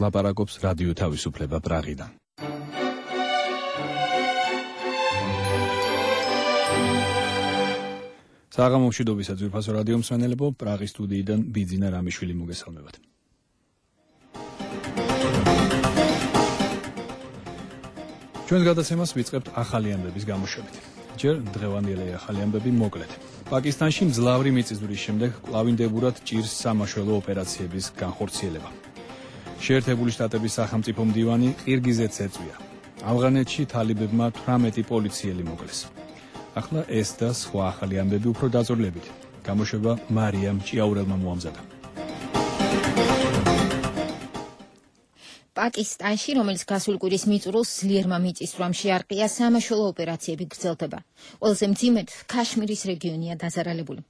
ლაპარაკობს რადიო თავისუფლება პრაღიდან. საღამო მშვიდობისა ძვირფასო რადიო მსმენელებო, პრაღის სტუდიიდან ბიძინა რამიშვილი მოგესალმებათ. ჩვენს გადაცემას ვიწყებთ ახალი ამბების გამოშვებით. ჯერ დღევანდელი ახალი ამბები მოკლედ. პაკისტანში მძლავრი მიწისძვრის შემდეგ კვლავინდებურად ჭირს სამაშველო ოპერაციების განხორციელება. შეერთებული შტატების სახელმწიფო მდივანი ყირგიზეთს ეწვია. ავღანეთში თალიბებმა 18 პოლიციელი მოკლეს. ახლა ეს და სხვა ახალი ამბები უფრო დაწვრილებით. გამოშვება მარიამ ჭიაურელმა მოამზადა. პაკისტანში, რომელიც გასული კვირის მიწურულს ძლიერმა მიწისძვრამ შეარყია, სამაშველო ოპერაციები გრძელდება. ყველაზე მძიმედ ქაშმირის რეგიონია დაზარალებული.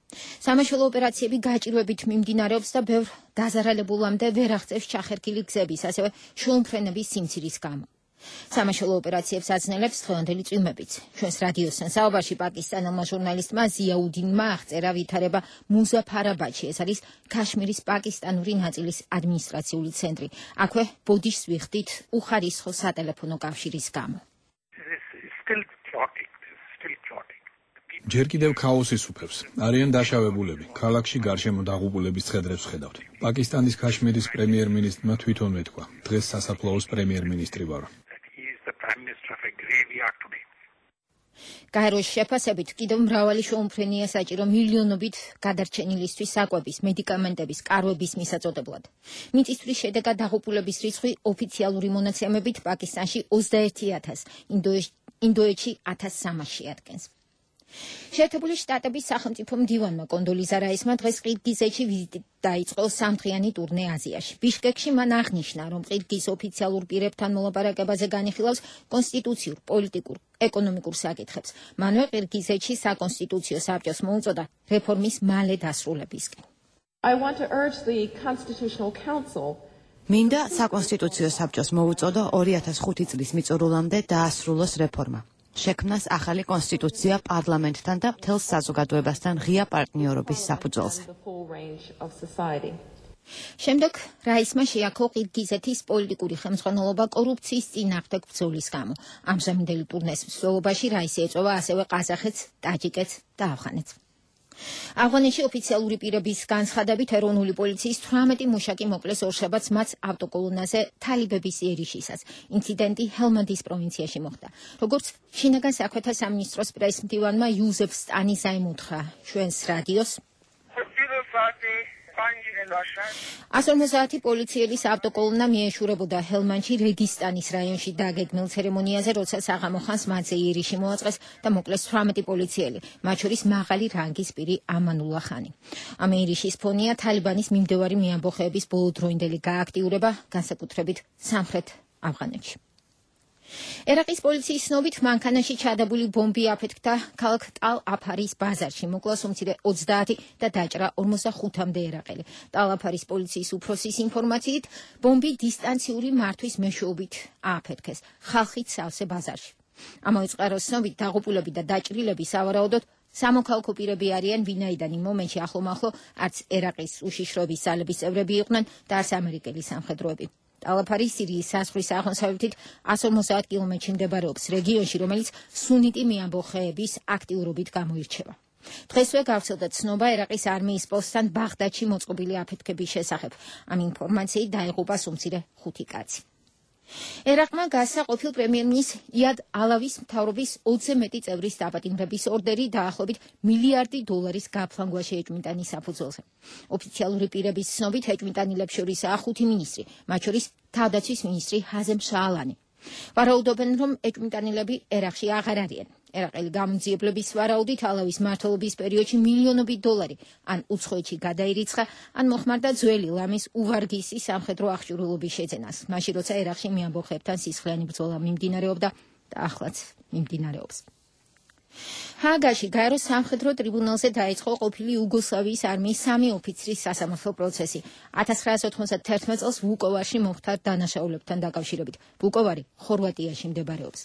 სამაშველო ოპერაციები გაჭირვებით მიმდინარეობს და ბევრ დაზარალებულამდე ვერ აღწევს ჩახერგილი გზების, ასევე შუამფრენების სიმცირის გამო. სამაშველო ოპერაციებს აძნელებს დღევანდელი წვიმებიც. ჩვენს რადიოსთან საუბარში პაკისტანელმა ჟურნალისტმა ზიაუდინმა აღწერა ვითარება მუზაფარაბადში. ეს არის ქაშმირის პაკისტანური ნაწილის ადმინისტრაციული ცენტრი. აქვე ბოდიშს ვიხდით უხარისხო სატელეფონო კავშირის გამო. ჯერ კიდევ ქაოსი სუფევს. არიან დაშავებულები. ქალაქში გარშემო დაღუპულების ცხედრებს ხედავთ. პაკისტანის ქაშმირის პრემიერ-მინისტრმა თვითონ ეთქვა. დღეს სასაფლაოს პრემიერ-მინისტრი ვარ. გაეროს შეფასებით კიდევ მრავალი შუამფრენია საჭირო მილიონობით გადარჩენილისთვის საკვების, მედიკამენტების, კარვების მისაწოდებლად. მიწისძვრის შედეგად დაღუპულების რიცხვი ოფიციალური მონაცემებით პაკისტანში 21,000, ინდოეთში 1,300 ადგენს. შეერთებული შტატების სახელმწიფო მდივანმა კონდოლიზა რაისმა დღეს ყირგიზეთში ვიზიტი დაიწყო სამდღიანი ტურნე აზიაში. ბიშკეკში მან აღნიშნა, რომ ყირგიზ ოფიციალურ პირებთან მოლაპარაკებაზე განიხილავს კონსტიტუციურ, პოლიტიკურ, ეკონომიკურ საკითხებს. მანვე ყირგიზეთში საკონსტიტუციო საბჭოს მოუწოდა რეფორმის მალე დასრულებისკენ. მინდა საკონსტიტუციო საბჭოს მოუწოდო 2005 წლის მიწურულამდე დაასრულოს რეფორმა. შექმნას ახალი კონსტიტუცია პარლამენტთან და მთელ საზოგადოებასთან ღია პარტნიორობის საფუძველზე. შემდეგ რაისმა შეაქო ყირგიზეთის პოლიტიკური ხელმძღვანელობა კორუფციის წინააღმდეგ ბრძოლის გამო. ამჟამინდელი ტურნეს მსვლელობაში რაისი ეწევა ასევე ყაზახეთს, ტაჯიკეთს და ავღანეთს. ავღანეთში ოფიციალური პირების განცხადებით ეროვნული პოლიციის 18 მუშაკი მოკლეს ორშაბათს მათ ავტოკოლონაზე თალიბების იერიშისას. ინციდენტი ჰელმანდის პროვინციაში მოხდა. როგორც შინაგან საქმეთა სამინისტროს პრესმდივანმა იუზეფ სტანი ზაიმუთხრა ჩვენს რადიოს 150 პოლიციელის ავტოკოლონა მიეშურებოდა ჰელმანდში რეგისტანის რაიონში დაგეგმილ ცერემონიაზე, როცა საღამო ხანს მათზე იერიში მოაწყეს და მოკლეს 18 პოლიციელი, მათ შორის მაღალი რანგის პირი ამანულა ხანი. ამ იერიშის ფონია თალიბანის მიმდევარი მეამბოხეების ბოლოდროინდელი გააქტიურება, განსაკუთრებით სამხრეთ ავღანეთში. ერაყის პოლიციის ცნობით მანქანაში ჩადებული ბომბი აფეთქდა ქალაქ ტალ-აფარის ბაზარში. მოკლა უმცირე 20 და დაჭრა 45-მდე ერაყელი. ტალ-აფარის პოლიციის უფროსის ინფორმაციით, ბომბი დისტანციური მართვის მეშვეობით ააფეთქეს ხალხით სავსე ბაზარში. ამავე წყაროს ცნობით დაღუპულები და დაჭრილები სავარაუდოდ სამოქალაქო პირები არიან, ვინაიდან იმ მომენტში ახლომახლო არც ერაყის უშიშროების ძალების წევრები იყვნენ და არც ამერიკელი სამხედროები. ტალ-აფარი სირიის საზღვრის აღმოსავლეთით 150 კილომეტრში მდებარეობს რეგიონში, რომელიც სუნიტი მეამბოხეების აქტიურობით გამოირჩევა. დღესვე გავრცელდა ცნობა ერაყის არმიის პოსტთან ბაღდადში მოწყობილი აფეთქების შესახებ. ამ ინფორმაციით დაიღუპა უმცირე 5 კაცი. ერაყმა გასცა ყოფილ პრემიერ-მინისტრ იად ალავის მთავრობის 20-ზე მეტი წევრის დაპატიმრების ორდერი დაახლოებით $1 მილიარდი გაფლანგვაში ეჭვმიტანის საფუძველზე. ოფიციალური პირების ცნობით ეჭვმიტანილებს შორისაა 5 მინისტრი, მათ შორის თავდაცვის მინისტრი ჰაზემ შაალანი. ვარაუდობენ, რომ ეჭვმიტანილები ერაყში აღარ არიან. ერაყელი გამოძიებლების ვარაუდით ალავის მმართველობის პერიოდში მილიონობით $, ან უცხოეთში გადაირიცხა, ან მოხმარდა ძველი ლამის უვარგისი სამხედრო აღჭურვილობის შეძენას, მაშინ როცა ერაყში მეამბოხეებთან სისხლიანი ბრძოლა მიმდინარეობდა და ახლაც მიმდინარეობს. ჰააგაში გაეროს სამხედრო ტრიბუნალზე დაიწყო ყოფილი იუგოსლავიის არმიის 3 ოფიცრის სასამართლო პროცესი. 1991 წელს ვუკოვარში მომხდარ დანაშაულებთან დაკავშირებით. ვუკოვარი ხორვატიაში მდებარეობს.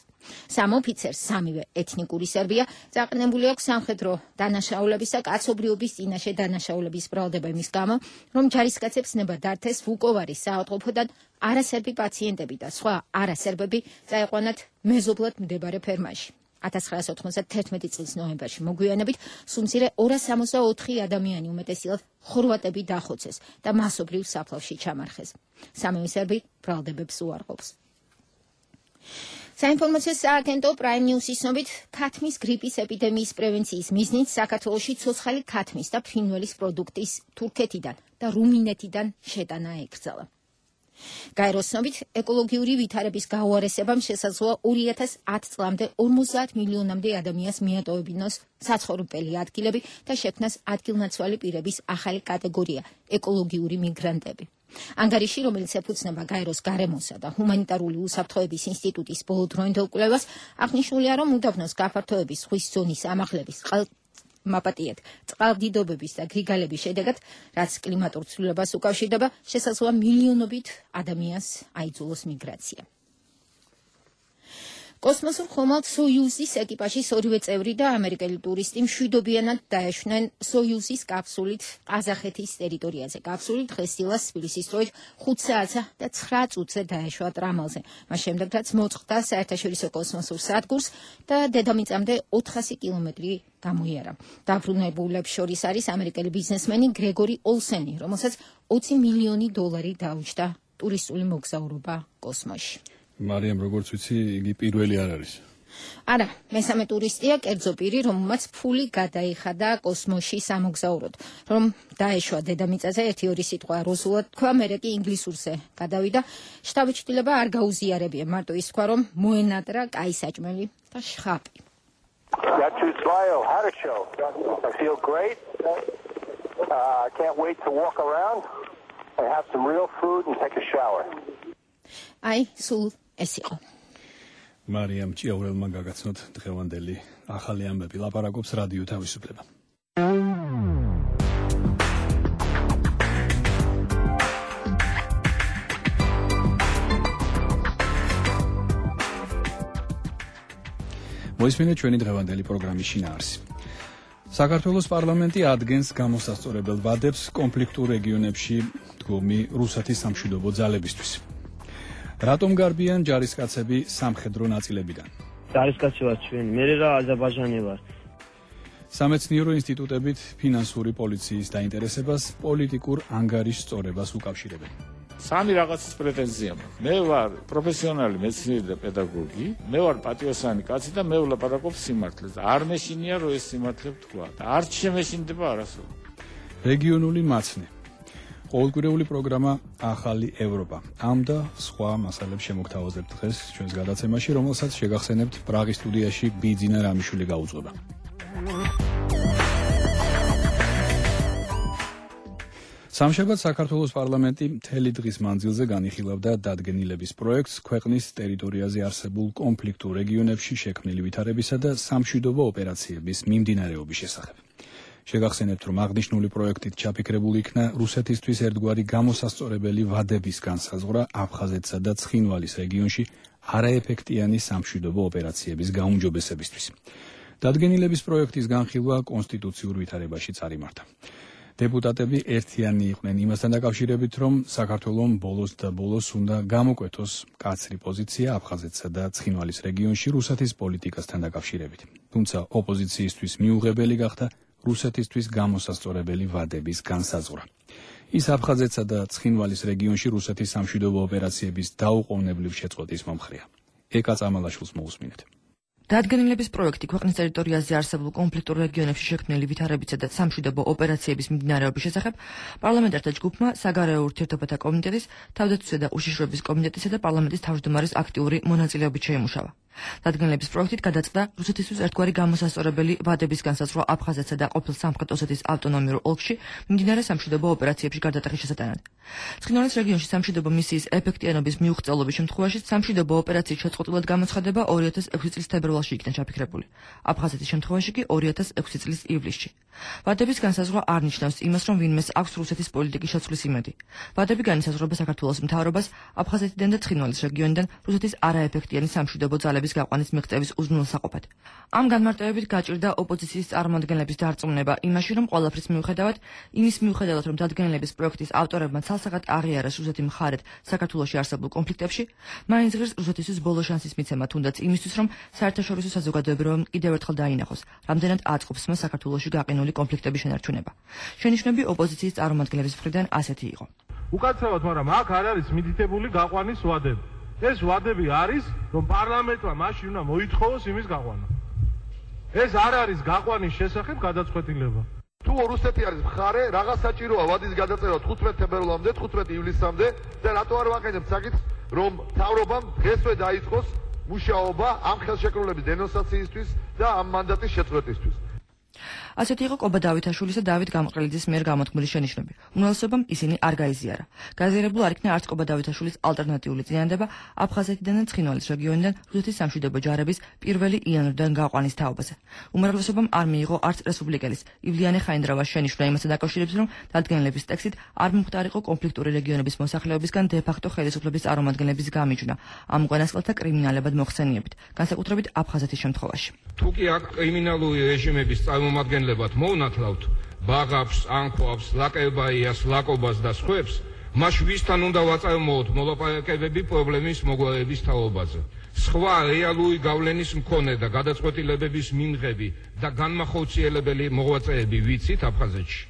3 ოფიცერს, 3-ვე ეთნიკური სერბია, წაყენებული აქვს სამხედრო დანაშაულების და კაცობრიობის წინაშე დანაშაულების ბრალდება იმის გამო, რომ ჯარისკაცებს ნება დართეს ვუკოვარის საავადმყოფოდან არასერბი პაციენტები და სხვა არასერბები წაეყვანათ მეზობლად მდებარე ფერმაში. 1991 წლის ნოემბერში მოგვიანებით სუმცირე 264 ადამიანი უმეტესწილად ხორვატები დახოცეს და მასობრივ საფლავში ჩამარხეს. 3 სერბი ბრალდებებს უარყოფს. საინფორმაციო სააგენტო Prime News-ის ცნობით, ქათმის გრიპის ეპიდემიის პრევენციის მიზნით საქართველოში ცოცხალი ქათმის და ფრინველის პროდუქტის თურქეთიდან და რუმინეთიდან შეტანა ეკრძალა. გაეროს ცნობით, ეკოლოგიური ვითარების გაუარესებამ შესაძლოა 2010 წლამდე 50 მილიონამდე ადამიანს მიატოვებინოს საცხოვრებელი ადგილები და შექმნას ადგილნაცვალი პირების ახალი კატეგორია ეკოლოგიური მიგრანტები. ანგარიში, რომელიც ეფუძნება გაეროს გარემოსა და ჰუმანიტარული უსაფრთხოების ინსტიტუტის ბოლოდროინდელ კვლევას, აღნიშნულია, რომ უდაბნოს გაფართოების ზღვის ზონის ამაღლების მაპატიეთ წყალდიდობების და გრიგალების შედეგად, რაც კლიმატურ ცვლილებას უკავშირდება, შესაძლოა მილიონობით ადამიანს აიძულოს მიგრაცია. კოსმოსურ ხომალდ სოიუზის ეკიპაჟის 2 წევრი და ამერიკელი ტურისტი მშვიდობიანად დაეშვნენ სოიუზის კაფსულით ყაზახეთის ტერიტორიაზე. კაფსული დღესდილას თბილისის დროით 5 საათსა და 9 წუთზე დაეშვა ტრამალზე. მას შემდეგ, რაც მოწყდა საერთაშორისო კოსმოსურ სადგურს და დედამიწამდე 400 კილომეტრი გამოიარა. დაბრუნებულებს შორის არის ამერიკელი ბიზნესმენი გრეგორი ოლსენი, რომელსაც 20 მილიონი დოლარი დაუჯდა ტურისტული მოგზაურობა კოსმოსში. მარიამ, როგორც ვიცი, იგი პირველი არ არის. არა, მესამე ტურისტია კერძო პირი, რომელმაც ფული გადაიხადა კოსმოსში სამოგზაუროდ. რომ დაეშვა დედამიწაზე, 1-2 სიტყვა რუსულად თქვა, მერე კი ინგლისურზე გადავიდა. შთაბეჭდილება არ გაუზიარებია, მარტო ის თქვა, რომ მოენატრა კაი საჭმელი და შხაპი. Got to smile. Had a show. I feel great. I can't wait to walk around and have some real food and take a shower. აი, სულ ეს იყო. მარიამ ჭიაურელმა გაგაცნოთ დღევანდელი ახალი ამბები. ლაპარაკობს რადიო თავისუფლება. მოისმინეთ ჩვენი დღევანდელი პროგრამის შინაარსი. საქართველოს პარლამენტი ადგენს გამოსასწორებელ ვადებს კონფლიქტურ რეგიონებში დგომი რუსეთის სამშვიდობო ძალებისთვის. რატომ გარბიან ჯარისკაცები სამხედრო ნაწილებიდან? ჯარისკაცი ვარ ჩვენი, მე რა აზერბაიჯანი ვარ. სამეცნიერო ინსტიტუტებით ფინანსური პოლიციის დაინტერესებას პოლიტიკურ ანგარიშს სწორებას უკავშირებენ. სამი რაღაცის პრეტენზია მაქვს. მე ვარ პროფესიონალი მეცნიერი და პედაგოგი, მე ვარ პატიოსანი კაცი და მე ვლაპარაკობ სიმართლეს. არ მეშინია რომ ეს სიმართლე ვთქვა და არ შემეშინდება არასოდეს. რეგიონული მაცნე. ყოველკვირეული პროგრამა ახალი ევროპა. ამ და სხვა მასალებს შემოგთავაზებთ დღეს ჩვენს გადაცემაში, რომელსაც შეგახსენებთ პრაღის სტუდიაში ბიძინა რამიშვილი გაუძღვება. სამშაბათ საქართველოს პარლამენტი მთელი დღის მანძილზე განიხილავდა დადგენილების პროექტს ქვეყნის ტერიტორიაზე არსებულ კონფლიქტურ რეგიონებში შექმნილი ვითარებისა და სამშვიდობო ოპერაციების მიმდინარეობის შესახებ. შეგახსენებთ, რომ აღნიშნული პროექტით ჩაფიქრებული იქნა რუსეთისთვის ერთგვარი გამოსასწორებელი ვადების განსაზღვრა აფხაზეთსა და ცხინვალის რეგიონში არაეფექტიანი სამშვიდობო ოპერაციების გაუმჯობესებისთვის. დადგენილების პროექტის განხილვა კონსტიტუციურ ვითარებაში წარიმართა. დეპუტატები ერთიანი იყვნენ იმასთან დაკავშირებით, რომ საქართველოს ბოლოს და ბოლოს უნდა გამოკვეთოს კაცრი პოზიცია აფხაზეთსა და ცხინვალის რეგიონში რუსეთის პოლიტიკასთან დაკავშირებით. თუმცა ოპოზიციისთვის მიუღებელი გახდა რუსეთისთვის გამოსასწორებელი ვადების განსაზღვრა. ის აფხაზეთსა და ცხინვალის რეგიონში რუსეთის სამშვიდობო ოპერაციების დაუყოვნებლივ შეწყვეტის მომხრეა. ეკა წამალაშვილს მოусმინეთ. დადგენილების პროექტი ქვეყნის ტერიტორიაზე არსებულ კონფლიქტურ რეგიონებში შექმნილი ვითარებისა და სამშვიდობო ოპერაციების მიმდინარეობის შესახებ პარლამენტართა ჯგუფმა საგარეო ურთიერთობათა კომიტეტის, თავდაცვისა და უშიშროების კომიტეტისა და პარლამენტის თავმჯდომარის აქტიური მონაწილეობით შეიმუშავა. დადგენილების პროექტით გადაწყდა რუსეთისთვის ერთგვარი გამოსასწორებელი ვადების განსაზღვრა აფხაზეთსა და ყოფილ სამხრეთ ოსეთის ავტონომიურ ოლქში მიმდინარე სამშვიდობო ოპერაციებში გარდატეხის შესატანად. ცხინვალის რეგიონში სამშვიდობო მისიის ეფექტიანობის მიუღწევობის შემთხვევაში სამშვიდობო ოპერაციის შეწყვეტილად გამოცხადება 2006 წლის თებერვალში საქართველოში იქნა ჩაფიქრებული. აფხაზეთის შემთხვევაში კი 2006 წლის ივლისში. ვადების განსაზღვრა არ ნიშნავს იმას, რომ ვინმეს აქვს რუსეთის პოლიტიკის შეცვლის იმედი. ვადები განისაზღვრება საქართველოს მთავრობას აფხაზეთიდან და ცხინვალის რეგიონიდან რუსეთის არაეფექტიანი სამშვიდობო ძალების გაყვანის მიღწევის უზრუნველსაყოფად. ამ განმარტებებით გაჭირდა ოპოზიციის წარმომადგენლების დარწმუნება იმაში, რომ ყველაფრის მიუხედავად, რომ დადგენილების პროექტის ავტორებმა ცალსახად აღიარეს რუსეთი მხარედ საქართველოში არსებულ კონფლიქტებში, მაინც ღირს რუსეთისთვის ბოლო შანსის მიცემა თუნდაც იმისთვის, რომ საერთაშორისო საზოგადოებამ კიდევ ერთხელ დაინახოს, რამდენად აწყობს მას საქართველოში გაყინული კონფლიქტების შენარჩუნება. შენიშვნები ოპოზიციის წარმომადგენლების მხრიდან ასეთი იყო. უკაცრავად, მაგრამ აქ არ არის მითითებული გაყვანის ვადები. ეს ვადები არის, რომ პარლამენტმა მაშინ უნდა მოითხოვოს იმის გაყვანა. ეს არ არის გაყვანის შესახებ გადაწყვეტილება. თუ რუსეთი არის მხარე, რაღაც საჭიროა ვადის გადაწერა 15 თებერვალამდე, 15 ივლისამდე და რატო არ ვაყენებთ საკითხს, რომ მთავრობამ დღესვე დაიწყოს მუშაობა ამ ხელშეკრულების დენონსაციისთვის და ამ მანდატის შეწყვეტისთვის. ასეთი იყო კობა დავითაშვილის და დავით გამყრელიძის მიერ გამოთქმული შენიშვნები. უმრავლესობამ ისინი არ გაიზიარა. გაზიარებულ არ იქნა არც კობა დავითაშვილის ალტერნატიული წინადადება აფხაზეთიდან და ცხინვალის რეგიონიდან რუსეთის სამშვიდობო ჯარების 1 იანვრიდან გაყვანის თაობაზე. უმრავლესობამ არ მიიღო არც რესპუბლიკელის ივლიანე ხაინდრავას შენიშვნა იმასთან დაკავშირებით, რომ დადგენილების ტექსტით არ მომხდარიყო კონფლიქტური რეგიონების მოსახლეობისგან დე-ფაქტო ხელისუფლების წარმომადგენლების გამიჯვნა ამ უკანასკნელთა კრიმინალებად მოხსენიებით, განსაკუთრებით აფხაზეთის შემთხვევაში. თუ კი აქ კრიმინალური რეჟიმების წარმომადგენლებად მოვნათლავთ ბაღავს, ანკოებს, ლაკებაიას, ლაკობას და სხვებს, მას ვისთან უნდა ვაწარმოოთ მოლაპარაკებები პრობლემის მოგვარების თაობაზე. სხვა რეალური გავლენის მქონე და გადაწყვეტილებების მიმღები და განმახორციელებელი მოღვაწეები ვიცით აფხაზეთში.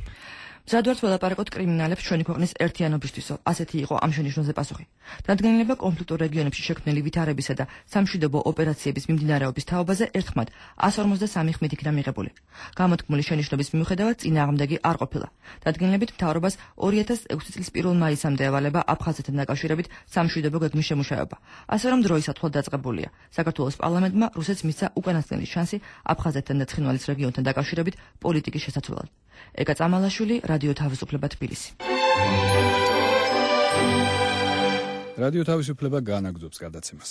მზადვართ ველაპარაკოთ კრიმინალებს ჩვენი ქვეყნის ერთიანობისთვისო, ასეთი იყო ამ შენიშვნაზე პასუხი. დადგენილება კონფლიქტურ რეგიონებში შექმნილი ვითარებისა და სამშვიდობო ოპერაციების მიმდინარეობის თაობაზე ერთხმად 153 ხმით იქნა მიღებული. გამოთქმული შენიშვნების მიუხედავად წინააღმდეგი არ ყოფილა. დადგენილებით მთავრობას 2006 წლის 1 მაისამდე ევალება აფხაზეთთან დაკავშირებით სამშვიდობო გეგმის შემუშავება. ასე რომ დროისათვალ დაწყებულია. საქართველოს პარლამენტმა რუსეთს მისცა უკანასკნელი შანსი აფხაზეთთან და ცხინვალის რეგიონთან დაკავშირებით პოლიტიკის შესაძლებლად. ეკა წამალაშვილი, რადიო თავისუფლება თბილისი. რადიო თავისუფლება განაგრძობს გადაცემას.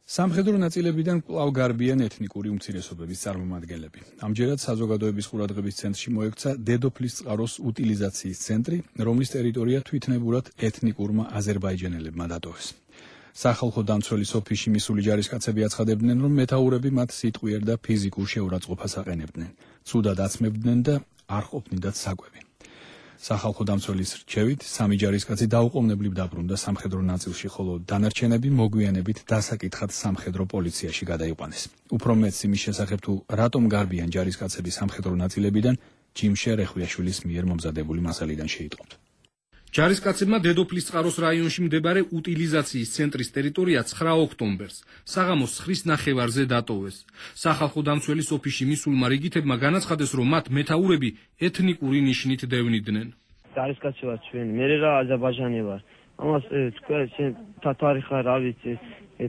სამხედრო ნაწილებიდან კვლავ გარბიან ეთნიკური უმცირესობების წარმომადგენლები. ამჯერად საზოგადოების ყურადღების ცენტრში მოექცა დედოფლის წყაროს უტილიზაციის ცენტრი, რომლის ტერიტორია თვითნებურად ეთნიკურმა აზერბაიჯანელებმა დატოვეს. სახალხო დამცველის ოფისში მისული ჯარისკაცები აცხადებდნენ, რომ მეთაურები მათ სიტყვიერ და ფიზიკურ შეურაცხყოფას აყენებდნენ, ცუდად აცმებდნენ და არ ყოფნიდათ საკვები. სახალხო დამცველის რჩევით, 3 ჯარისკაცი დაუყოვნებლივ დაბრუნდა სამხედრო ნაწილში, ხოლო დანარჩენები მოგვიანებით დასაკითხად სამხედრო პოლიციაში გადაიყვანეს. უფრო მეტს იმის შესახებ თუ რატომ გარბიან ჯარისკაცები სამხედრო ნაწილებიდან, ჯიმშე რეხვიაშვილის მიერ მომზადებული მასალიდან შეიტყობთ. ჯარისკაცებმა დედოფლის წყაროს რაიონში მდებარე უტილიზაციის ცენტრის ტერიტორია 9 ოქტომბერს საღამოს 9 ნახევარზე დატოვეს. სახალხო დამცველის ოფისში მისულმა რიგითებმა განაცხადეს, რომ მათ მეთაურები ეთნიკური ნიშნით დევნიდნენ. ჯარისკაცი ვარ ჩვენ, მე რა აზერბაიჯანი ვარ. ამას თქვენ თათარი ხარ, რა ვიცი,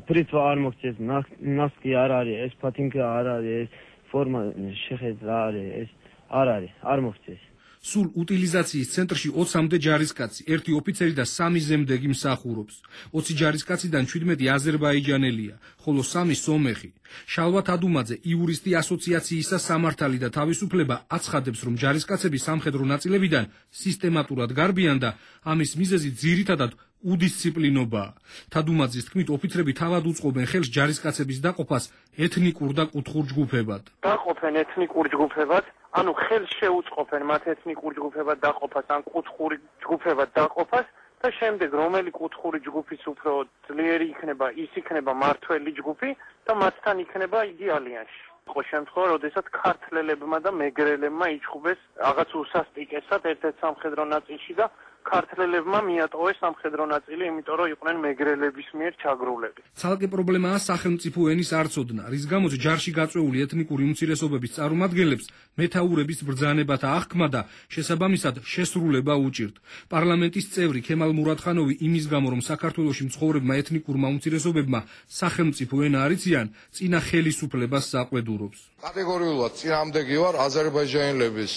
პრიტვა არ მოგწეს, ნასკი არ არის, ეს ფათინკა არ არის, ეს ფორმა შეხეთ რა არის, ეს არ არის, არ მოგწეს. სულ უტილიზაციის ცენტრში 20-მდე ჯარისკაცი, 1 ოფიცერი და 3 ზემდეგი მსახურობს. 20 ჯარისკაციდან 17 აზერბაიჯანელია, ხოლო 3 სომეხი. შალვათ ადუმაძე, იურისტი ასოციაციისა სამართალი და თავისუფლება აცხადებს, რომ ჯარისკაცები სამხედრო ნაწილებიდან სისტემატურად გარბიან და ამის მიზეზი ძირითადად უდისციპლინობაა. თადუმაძის თქმით, ოფიცრები თავად უწყობენ ხელს ჯარისკაცების დაყოფას ეთნიკურ და კუთხურ ჯგუფებად. დაყოფენ ეთნიკურ ჯგუფებად, ანუ ხელს შეუწყობენ მათ ეთნიკურ ჯგუფებად დაყოფას, ან კუთხური ჯგუფებად დაყოფას და შემდეგ რომელი კუთხური ჯგუფის უფრო ძლიერი იქნება, ის იქნება მართველი ჯგუფი და მათთან იქნება იგი ალიანსი. იყო შემთხვევა, როდესაც ქართლელებმა და მეგრელებმა იჩხუბეს რაღაც უსასტიკესად ერთ-ერთ სამხედრო ნაწილში და ქართლელებმა მიატოვეს სამხედრო ნაწილი, იმიტომ რომ იყვნენ მეგრელების მიერ ჩაგრულები. ცალკე პრობლემაა სახელმწიფო ენის არცოდნა, რის გამოც ჯარში გაწვეული ეთნიკური უმცირესობების წარმომადგენლებს მეთაურების ბრძანებათა აღქმა და შესაბამისად შესრულება უჭირთ. პარლამენტის წევრი ქემალ მურადხანოვი იმის გამო, რომ საქართველოში მცხოვრებმა ეთნიკურმა უმცირესობებმა სახელმწიფო ენა არ იციან, წინა ხელისუფლებას საყვედურობს. კატეგორიულად წინააღმდეგი ვარ აზერბაიჯანელების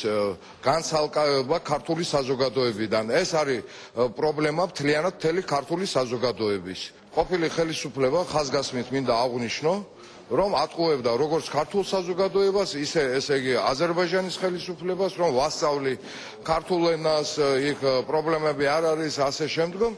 განცალკავება ქართული საზოგადოებიდან. ეს არის პრობლემა მთლიანად მთელი ქართული საზოგადოების. ყოფილი ხელისუფლება ხაზგასმით მინდა აღვნიშნო, რომ ატყუებდა როგორც ქართულ საზოგადოებას, ისე ესე იგი აზერბაიჯანის ხელისუფლებას, რომ ვასწავლი ქართულ ენას, იქ პრობლემები არ არის, ასე შემდგომ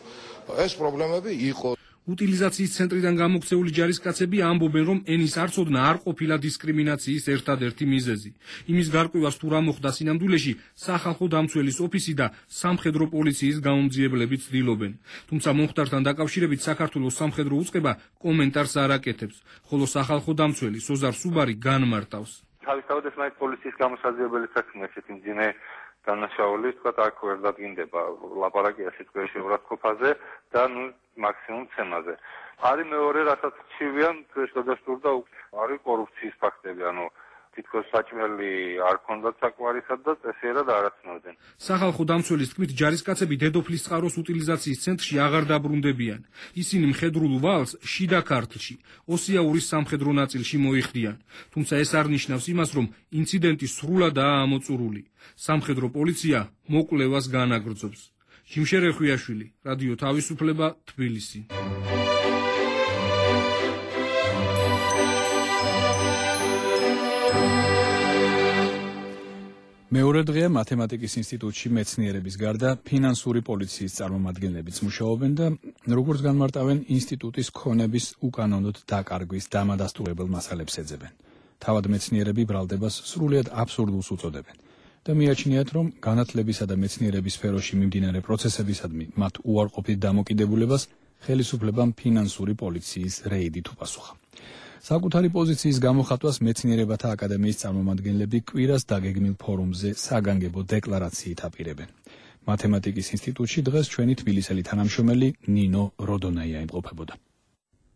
ეს პრობლემები იყო. უტილიზაციის ცენტრიდან გამოქცეული ჯარისკაცები ამბობენ, რომ ენის არცოდნა არ ყოფილა დისკრიმინაციის ერთადერთი მიზეზი. იმის გარკვევას თუ რა მოხდა სინამდვილეში, სახალხო დამცველის ოფისი და სამხედრო პოლიციის გამომძიებლები ცდილობენ. თუმცა მომხდართან დაკავშირებით საქართველოს სამხედრო უწყება კომენტარს არ აკეთებს, ხოლო სახალხო დამცველი სოზარ სუბარი განმარტავს. თავისთავად ეს მაინც პოლიციის გამოსაძიებელი საქმეა, ესეთი მძიმე დანაშაული, თქვა აქ ვერ დადგინდება ლაპარაკია სიტყვაში ურათყოფაზე და მაქსიმუმ ცემაზე. არის მეორე, რასაც ჩივიან, ეს გადასტურდა არის კორუფციის ფაქტები, თითქოს საჭმელი არ ქონდათ საკვარისად და წესიერად არ აცნობდნენ. სახალხო დამცველის თქმით, ჯარისკაცები დედოფლის წყაროს უტილიზაციის ცენტრში აღარ დაბრუნდებიან. ისინი მხედრულ ვალს შიდა ქართლში, ოსიაურის სამხედრო ნაწილში მოიხდიან. თუმცა ეს არ ნიშნავს იმას, რომ ინციდენტი სრულადაა ამოწურული. სამხედრო პოლიცია მოკვლევას განაგრძობს. ჯიმშერე ხვიაშვილი, რადიო თავისუფლება, თბილისი. მეორე დღეა მათემატიკის ინსტიტუტში მეცნიერების გარდა ფინანსური პოლიციის წარმომადგენლებიც მუშაობენ და როგორც განმარტავენ, ინსტიტუტის ქონების უკანონოდ დაკარგვის დამადასტურებელ მასალებს ეძებენ. თავად მეცნიერები ბრალდებას სრულიად აბსურდულს უწოდებენ და მიაჩნიათ, რომ განათლებისა და მეცნიერების სფეროში მიმდინარე პროცესებისადმი მათ უარყოფით დამოკიდებულებას ხელისუფლებამ ფინანსური პოლიციის რეიდით უპასუხა. საკუთარი პოზიციის გამოხატვას მეცნიერებათა აკადემიის წარმომადგენლები კვირას დაგეგმილ ფორუმზე საგანგებო დეკლარაციით აპირებენ. მათემატიკის ინსტიტუტში დღეს ჩვენი თბილისელი თანამშრომელი ნინო როდონაია იმყოფებოდა.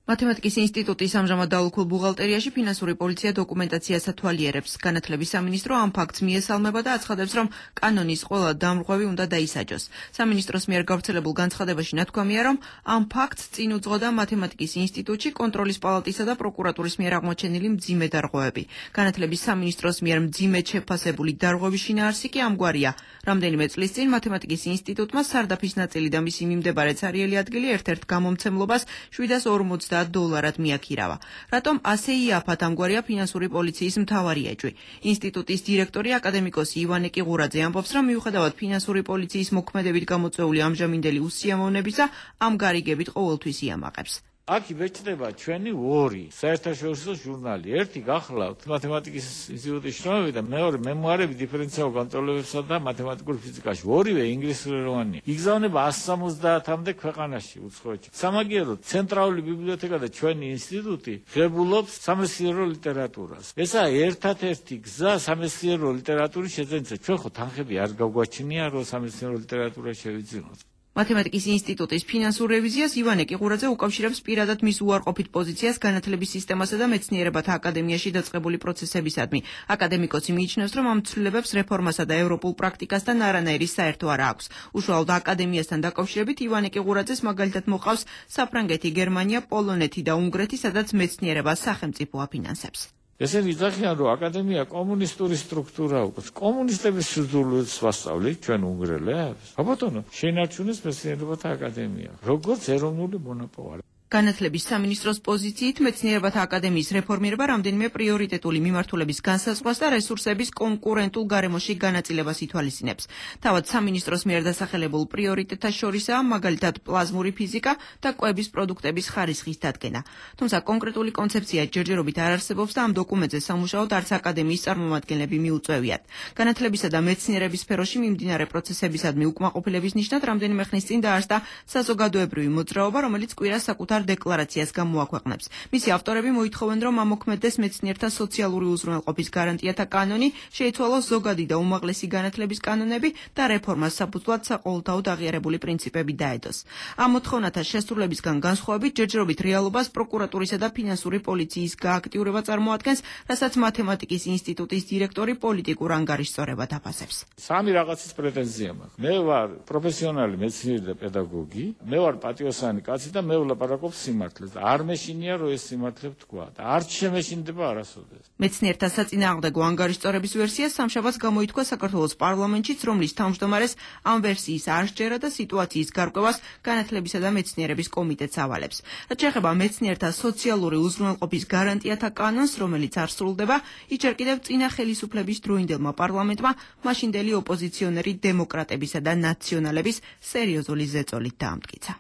მათემატიკის ინსტიტუტის ამჟამად დაუქულ ბუღალტერიაში ფინანსური პოლიცია დოკუმენტაციას ათვალიერებს. განათლების სამინისტრო ამ ფაქტს მიესალმება და აცხადებს, რომ კანონის ყველა დამრღვევი უნდა დაისაჯოს. სამინისტროს მიერ გავრცელებულ განცხადებაში ნათქვამია, რომ ამ ფაქტს წინ უძღოდა მათემატიკის ინსტიტუტში კონტროლის პალატისა და პროკურატურის მიერ აღმოჩენილი მძიმე დარღვევები. განათლების სამინისტროს მიერ მძიმედ შეფასებული დარღვევის შინაარსი კი ამგვარია. რამდენიმე წლის წინ მათემატიკის ინსტიტუტმა სარდაფის ნაწილი და მისი მიმდებარე ცარიელი ადგილი ერთ-ერთ გამომცემლობას $750 მიაქირავა. რატომ ასე იაფად ამგვარია ფინანსური პოლიციის მთავარი ეჭვი? ინსტიტუტის დირექტორი აკადემიკოსი ივანე კიღურაძე ამბობს, რომ მიუხედავად ფინანსური პოლიციის მოქმედებით გამოწვეული ამჟამინდელი უსიამოვნებისა, ამ გარიგებით ყოველთვის იამაყებს. აქ იბეჭდება ჩვენი ორი საერთაშორისო ჟურნალი. ერთი გახლავთ მათემატიკის ინსტიტუტის შრომები და მეორე მემუარები დიფერენციალურ განტოლებებსა და მათემატიკურ ფიზიკაში. ორივე ინგლისურენოვანია. იგზავნება 170-მდე ქვეყანაში უცხოეთში. სამაგიეროდ ცენტრალური ბიბლიოთეკა და ჩვენი ინსტიტუტი ღებულობს სამეცნიერო ლიტერატურას. ესაა ერთადერთი გზა სამეცნიერო ლიტერატურის შეძენისა. ჩვენ ხო თანხები არ გავგვაჩნია, რომ სამეცნიერო ლიტერატურა შევიძინოთ. მათემატიკის ინსტიტუტის ფინანსურ რევიზიას ივანე კიღურაძე უკავშირებს პირადად მის უარყოფით პოზიციას განათლების სისტემასა და მეცნიერებათა აკადემიაში დაწყებული პროცესებისადმი. აკადემიკოსი მიიჩნევს, რომ ამ ცვლილებებს რეფორმასა და ევროპულ პრაქტიკასთან არანაირი საერთო არ აქვს. უშუალოდ აკადემიასთან დაკავშირებით ივანე კიღურაძეს მაგალითად მოყავს საფრანგეთი, გერმანია, პოლონეთი და უნგრეთი, სადაც მეცნიერებას სახელმწიფო აფინანსებს. ესენი იძახიან, რომ აკადემია კომუნისტური სტრუქტურა უკვე. კომუნისტების სიძულვილს ვასწავლით ჩვენ უნგრელებს. აბატონო, შეინარჩუნეს მეცნიერებათა აკადემია, როგორც ეროვნული მონოპოლი. განათლების სამინისტროს პოზიციით მეცნიერებათა აკადემიის რეფორმირება რამდენიმე პრიორიტეტული მიმართულების განსაზღვრას და რესურსების კონკურენტულ გარემოში განაწილებას ითვალისწინებს. თავად სამინისტროს მიერ დასახელებულ პრიორიტეტთა შორისაა მაგალითად პლაზმური ფიზიკა და კვების პროდუქტების ხარისხის დადგენა. თუმცა კონკრეტული კონცეფცია ჯერჯერობით არ არსებობს და ამ დოკუმენტზე სამუშაოდ არც აკადემიის წარმომადგენლები მიუწევიათ. განათლებისა და მეცნიერების სფეროში მიმდინარე პროცესებისადმი უკმაყოფილების ნიშნად რამდენიმე ხნის წინ დაარსდა საზოგადოებრივი მოძრაობა, რომელიც კვირას საკუთარ დეკლარაციას გამოაქვეყნებს. მისი ავტორები მოითხოვენ, რომ ამოქმედდეს მეცნიერთა სოციალური უზრუნველყოფის გარანტიათა კანონი, შეიცვალოს ზოგადი და უმაღლესი განათლების კანონები და რეფორმას საფუძვლად საყოველთაოდ აღიარებული პრინციპები დაედოს. ამ მოთხოვნათა შესრულებისგან განსხვავებით, ჯერჯერობით რეალობას პროკურატურისა და ფინანსური პოლიციის გააქტიურება წარმოადგენს, რასაც მათემატიკის ინსტიტუტის დირექტორი პოლიტიკურ ანგარიშსწორებად აფასებს. სამი რაღაცის პრეტენზია მაქვს. მე ვარ პროფესიონალი მეცნიერი და პედაგოგი, მე ვარ პატიოსანი კაცი და მე ვლაპარაკობ ლაპარაკობს სიმართლეს. არ მეშინია რომ ეს სიმართლე ვთქვა და არც შემეშინდება არასოდეს. მეცნიერთა საწინააღმდეგო ანგარიშწორების ვერსია სამშაბათს გამოითქვა საქართველოს პარლამენტშიც, რომლის თავმჯდომარეს ამ ვერსიის არ სჯერა და სიტუაციის გარკვევას განათლებისა და მეცნიერების კომიტეტს ავალებს. რაც შეეხება მეცნიერთა სოციალური უზრუნველყოფის გარანტიათა კანონს, რომელიც არ სრულდება, ის ჯერ კიდევ წინა ხელისუფლების დროინდელმა პარლამენტმა მაშინდელი ოპოზიციონერი დემოკრატებისა და ნაციონალების სერიოზული ზეწოლით დაამტკიცა.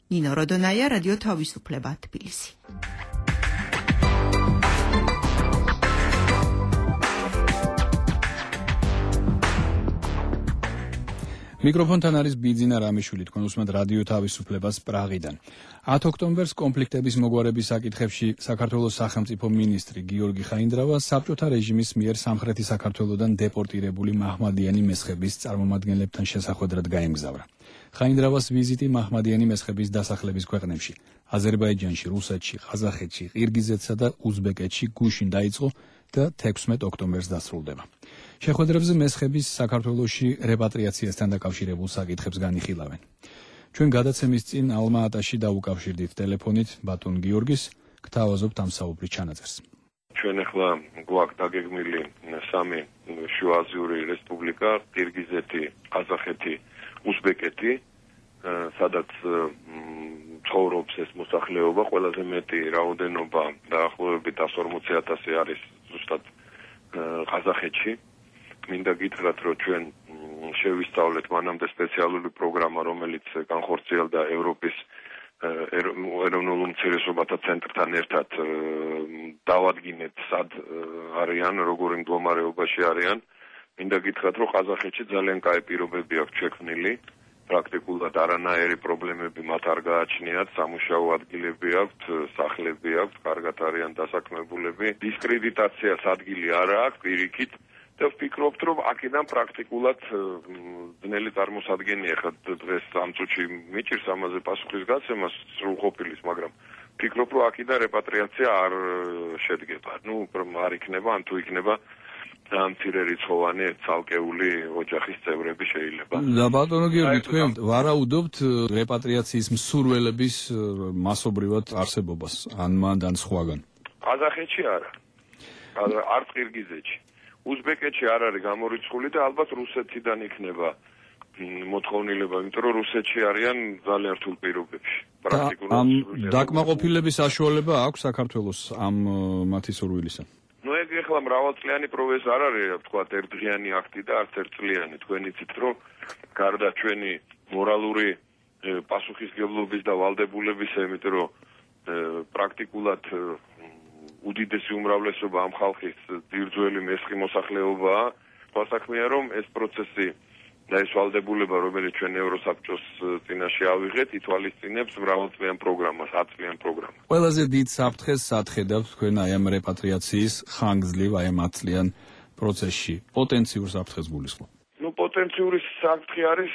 ნინო როდონაია, რადიო თავისუფლება, თბილისი. მიკროფონთან არის ბიძინა რამიშვილი, თქვენ უსმენთ რადიო თავისუფლებას პრაღიდან. 10 ოქტომბერს კონფლიქტების მოგვარების საკითხებში საქართველოს სახელმწიფო მინისტრი გიორგი ხაინდრავა საბჭოთა რეჟიმის მიერ სამხრეთი საქართველოდან დეპორტირებული მაჰმადიანი მესხების წარმომადგენლებთან შესახვედრად გაემგზავრა. ხაინდრავას ვიზიტი მაჰმადიანი მესხების დასახლების ქვეყნებში, აზერბაიჯანში, რუსეთში, ყაზახეთში, ყირგიზეთსა და უზბეკეთში გუშინ დაიწყო და 16 ოქტომბერს დასრულდება. შეხვედრებზე მესხების საქართველოში რეპატრიაციასთან დაკავშირებულ საკითხებს განიხილავენ. ჩვენ გადაცემის წინ ალმა-ატაში დაუკავშირდით ტელეფონით ბატონ გიორგის, გთავაზობთ ამ საუბრის ჩანაწერს. ჩვენ ახლა გვაქვს დაგეგმილი 3 შუააზიური რესპუბლიკა, ყირგიზეთი, ყაზახეთი, უზბეკეთი, სადაც ცხოვრობს ეს მოსახლეობა, ყველაზე მეტი რაოდენობა დაახლოებით 140,000 არის ზუსტად ყაზახეთში. მინდა გითხრათ, რომ ჩვენ შევისწავლეთ მანამდე სპეციალური პროგრამა, რომელიც განხორციელდა ევროპის ეროვნულ უმცირესობათა ცენტრთან ერთად, დავადგინეთ სად არიან, როგორ მდგომარეობაში არიან. მინდა გითხრათ, რომ ყაზახეთში ძალიან კაი პირობები აქვს შექმნილი. პრაქტიკულად არანაირი პრობლემები მათ არ გააჩნიათ, სამუშაო ადგილები აქვთ, სახლები აქვთ, კარგად არიან დასაქმებულები. დისკრედიტაციას ადგილი არ აქვს პირიქით და ვფიქრობთ, რომ აქედან პრაქტიკულად ძნელი წარმოსადგენია. ხა დღეს ამ წუთში მიჭირს ამაზე პასუხის გაცემა სრულყოფილის, მაგრამ ვფიქრობ, რომ აქედან რეპატრიაცია არ შედგება. არ იქნება, ან თუ იქნება ძალიან მცირე რიცხოვანი ცალკეული ოჯახის წევრები შეიძლება. და ბატონო გიორგი, თქვენ ვარაუდობთ რეპატრიაციის მსურველების მასობრივად არსებობას, ან მანდ ან სხვაგან? ყაზახეთში არა. არც ყირგიზეთში. უზბეკეთში არ არის გამორიცხული და ალბათ რუსეთიდან იქნება მოთხოვნილება, იმიტომ რომ რუსეთში არიან ძალიან რთულ პირობებში. ამ დაკმაყოფილების საშუალება აქვს საქართველოს ამ მათი სურვილისა? ეგ ეხლა მრავალწლიანი პროცესი არ არის, ვთქვათ, ერთდღიანი აქტი და არც ერთწლიანი. თქვენ იცით, რომ გარდა ჩვენი მორალური პასუხისმგებლობის და ვალდებულებისა, იმიტომ რომ პრაქტიკულად უდიდესი უმრავლესობა ამ ხალხის ძირძველი მესხი მოსახლეობაა. თვალსაჩინოა, რომ ეს პროცესი და ეს ვალდებულება, რომელიც ჩვენ ევროსაბჭოს წინაშე ავიღეთ, ითვალისწინებს მრავალწლიან პროგრამას, 10 წლიან პროგრამას. ყველაზე დიდ საფრთხეს სათხედავთ თქვენ აი ამ რეპატრიაციის ხანგრძლივ აი ამ 10 წლიან პროცესში. პოტენციურ საფრთხეს გულისხმობ. პოტენციური საფრთხე არის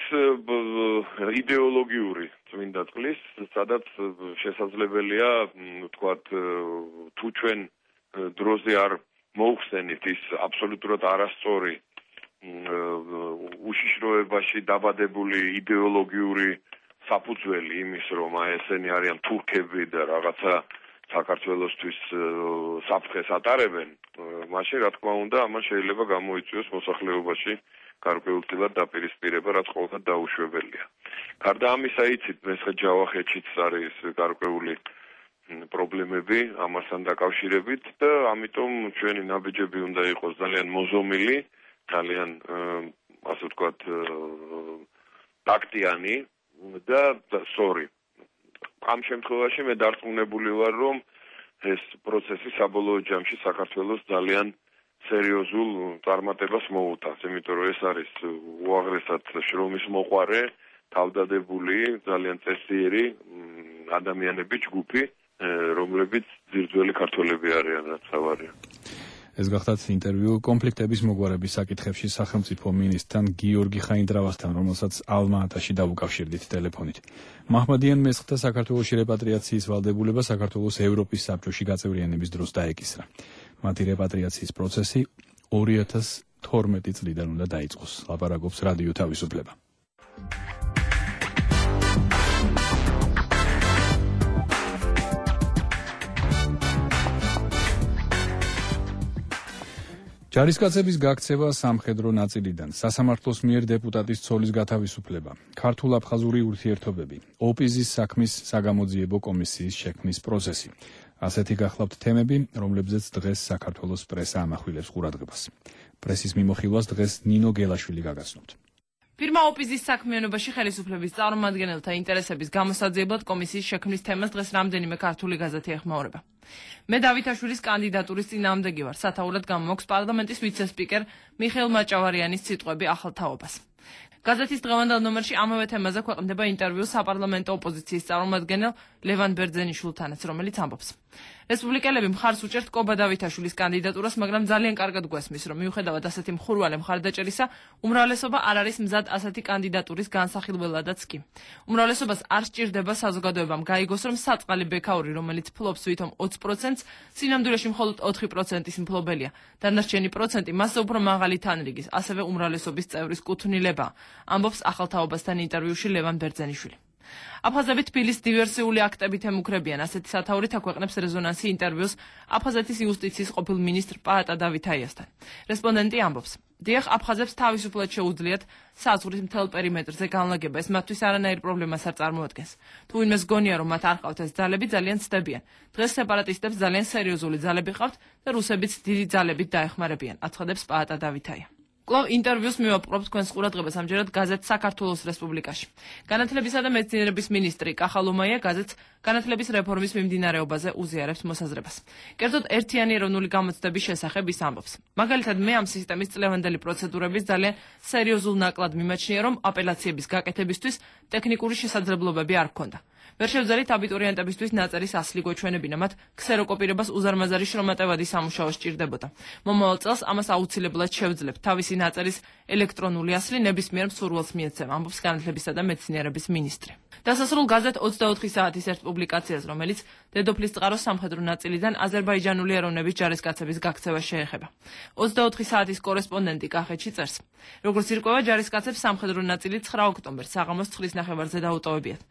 იდეოლოგიური წმინდა წყლის, სადაც შესაძლებელია, ვთქვათ, თუ ჩვენ დროზე არ მოუხსენით ის აბსოლუტურად არასწორი უშიშროებაში დაბადებული იდეოლოგიური საფუძველი იმის, რომ ესენი არიან თურქები და რაღაცა საქართველოსთვის საფრთხეს ატარებენ, მაშინ რა თქმა უნდა, ამან შეიძლება გამოიწვიოს მოსახლეობაში გარკვეულწილად დაპირისპირება, რაც ყოველდღე დაუშვებელია. გარდა ამისა, იცით, მესხეთ-ჯავახეთშიც არის გარკვეული პრობლემები ამასთან დაკავშირებით და ამიტომ ჩვენი ნაბიჯები უნდა იყოს ძალიან მოზომილი, ძალიან ასე ვთქვათ, ტაქტიანი და სწორი. ამ შემთხვევაში მე დარწმუნებული ვარ, რომ ეს პროცესი საბოლოო ჯამში საქართველოს ძალიან სერიოზულ წარმატებას მოუტანს, იმიტომ რომ ეს არის უაღრესად შრომის მოყვარე, თავდადებული, ძალიან წესიერი ადამიანების ჯგუფი, რომლებიც ძირძველი ქართველები არიან, რაც თავარია. ეს გახდათ ინტერვიუ კონფლიქტების მოგვარების საკითხებში სახელმწიფო მინისტრთან გიორგი ხაინდრავასთან, რომელსაც ალმა-ატაში დაუკავშირდით ტელეფონით. მაჰმადიან მესხთა საქართველოში რეპატრიაციის ვალდებულება საქართველოს ევროპის საბჭოში გაწევრიანების დროს დაეკისრა. მათი რეპატრიაციის პროცესი 2012 წლიდან უნდა დაიწყოს. ლაპარაკობს რადიო თავისუფლება. ჯარისკაცების გაქცევა სამხედრო ნაწილიდან, სასამართლოს მიერ დეპუტატის ცოლის გათავისუფლება, ქართულ-აფხაზური ურთიერთობები, ოპიზის საქმის საგამოძიებო კომისიის შექმნის პროცესი. ასეთი გახლავთ თემები, რომლებზეც დღეს საქართველოს პრესა ამახვილებს ყურადღებას. პრესის მიმოხილვას დღეს ნინო გელაშვილი გაგაცნობთ. ფირმა ოპიზის საქმიანობაში ხელისუფლების წარმომადგენელთა ინტერესების გამოსაძიებლად კომისიის შექმნის თემას დღეს რამდენიმე ქართული გაზეთი ეხმაურება. მე დავითაშვილის კანდიდატურის წინააღმდეგი ვარ, სათაურად გამოაქვს პარლამენტის ვიცე-სპიკერ მიხეილ მაჭავარიანის სიტყვები ახალ თაობას. გაზეთის დღევანდელ ნომერში ამავე თემაზე ქვეყნდება ინტერვიუ საპარლამენტო ოპოზიციის წარმომადგენელ ლევან ბერძენიშვილთანაც, რომელიც ამბობს. რესპუბლიკელები მხარს უჭერთ კობა დავითაშვილის კანდიდატურას, მაგრამ ძალიან კარგად გვესმის, რომ მიუხედავად ასეთი მხურვალე მხარდაჭერისა, უმრავლესობა არ არის მზად ასეთი კანდიდატურის განსახილველადაც კი. უმრავლესობას არ სჭირდება საზოგადოებამ გაიგოს, რომ საწყალი ბექაური, რომელიც ფლობს ვითომ 20%-ს, სინამდვილეში მხოლოდ 4%-ის მფლობელია. დანარჩენი პროცენტი მასზე უფრო მაღალი თანრიგის, ასევე უმრავლესობის წევრის კუთვნილებაა, ამბობს ახალთაობასთან ინტერვიუში ლევან ბერძენიშვილი. აფხაზები თბილის დივერსიული აქტებით ემუქრებიან, ასეთი სათაურით აქვეყნებს რეზონანსი ინტერვიუს აფხაზეთის იუსტიციის ყოფილ მინისტრ პაატა დავითაიასთან. რესპონდენტი ამბობს: დიახ, აფხაზებს თავისუფლად შეუძლიათ საზღვრის მთელ პერიმეტრზე განლაგება, ეს მათთვის არანაირ პრობლემას არ წარმოადგენს. თუ ვინმეს გონია, რომ მათ არ ყავთ ეს ძალები, ძალიან ცდებიან. დღეს სეპარატისტებს ძალიან სერიოზული ძალები ყავთ და რუსებიც დიდი ძალებით დაეხმარებიან, აცხადებს პაატა დავითაია. კვლავ ინტერვიუს მივაპყრობთ თქვენს ყურადღებას ამჯერად გაზეთ საქართველოს რესპუბლიკაში. განათლებისა და მეცნიერების მინისტრი კახალომაია გაზეთს განათლების რეფორმის მიმდინარეობაზე უზიარებს მოსაზრებას. კერძოდ ერთიანი ეროვნული გამოცდების შესახებ ის ამბობს. მაგალითად, მე ამ სისტემის წლევანდელი პროცედურების ძალიან სერიოზულ ნაკლად მიმაჩნია, რომ აპელაციების გაკეთებისთვის ტექნიკური შესაძლებლობები არ ჰქონდა. ვერ შევძელით აბიტურიენტებისთვის ნაწერის ასლი გვეჩვენებინა, მათ ქსეროკოპირებას უზარმაზარი შრომატევადი სამუშაო სჭირდებოდა. მომავალ წელს ამას აუცილებლად შევძლებთ. თავისი ნაწერის ელექტრონული ასლი ნებისმიერ მსურველს მიეცემა, ამბობს განათლებისა და მეცნიერების მინისტრი. დასასრულ გაზეთ 24 საათის ერთ პუბლიკაციას, რომელიც დედოფლის წყაროს სამხედრო ნაწილიდან აზერბაიჯანული ეროვნების ჯარისკაცების გაქცევას შეეხება. 24 საათის კორესპონდენტი კახეთში წერს: როგორც ირკვევა, ჯარისკაცებს სამხედრო ნაწილი 9 ოქტომბერს საღამოს 9 ნახევარზე დაუტოვებიათ.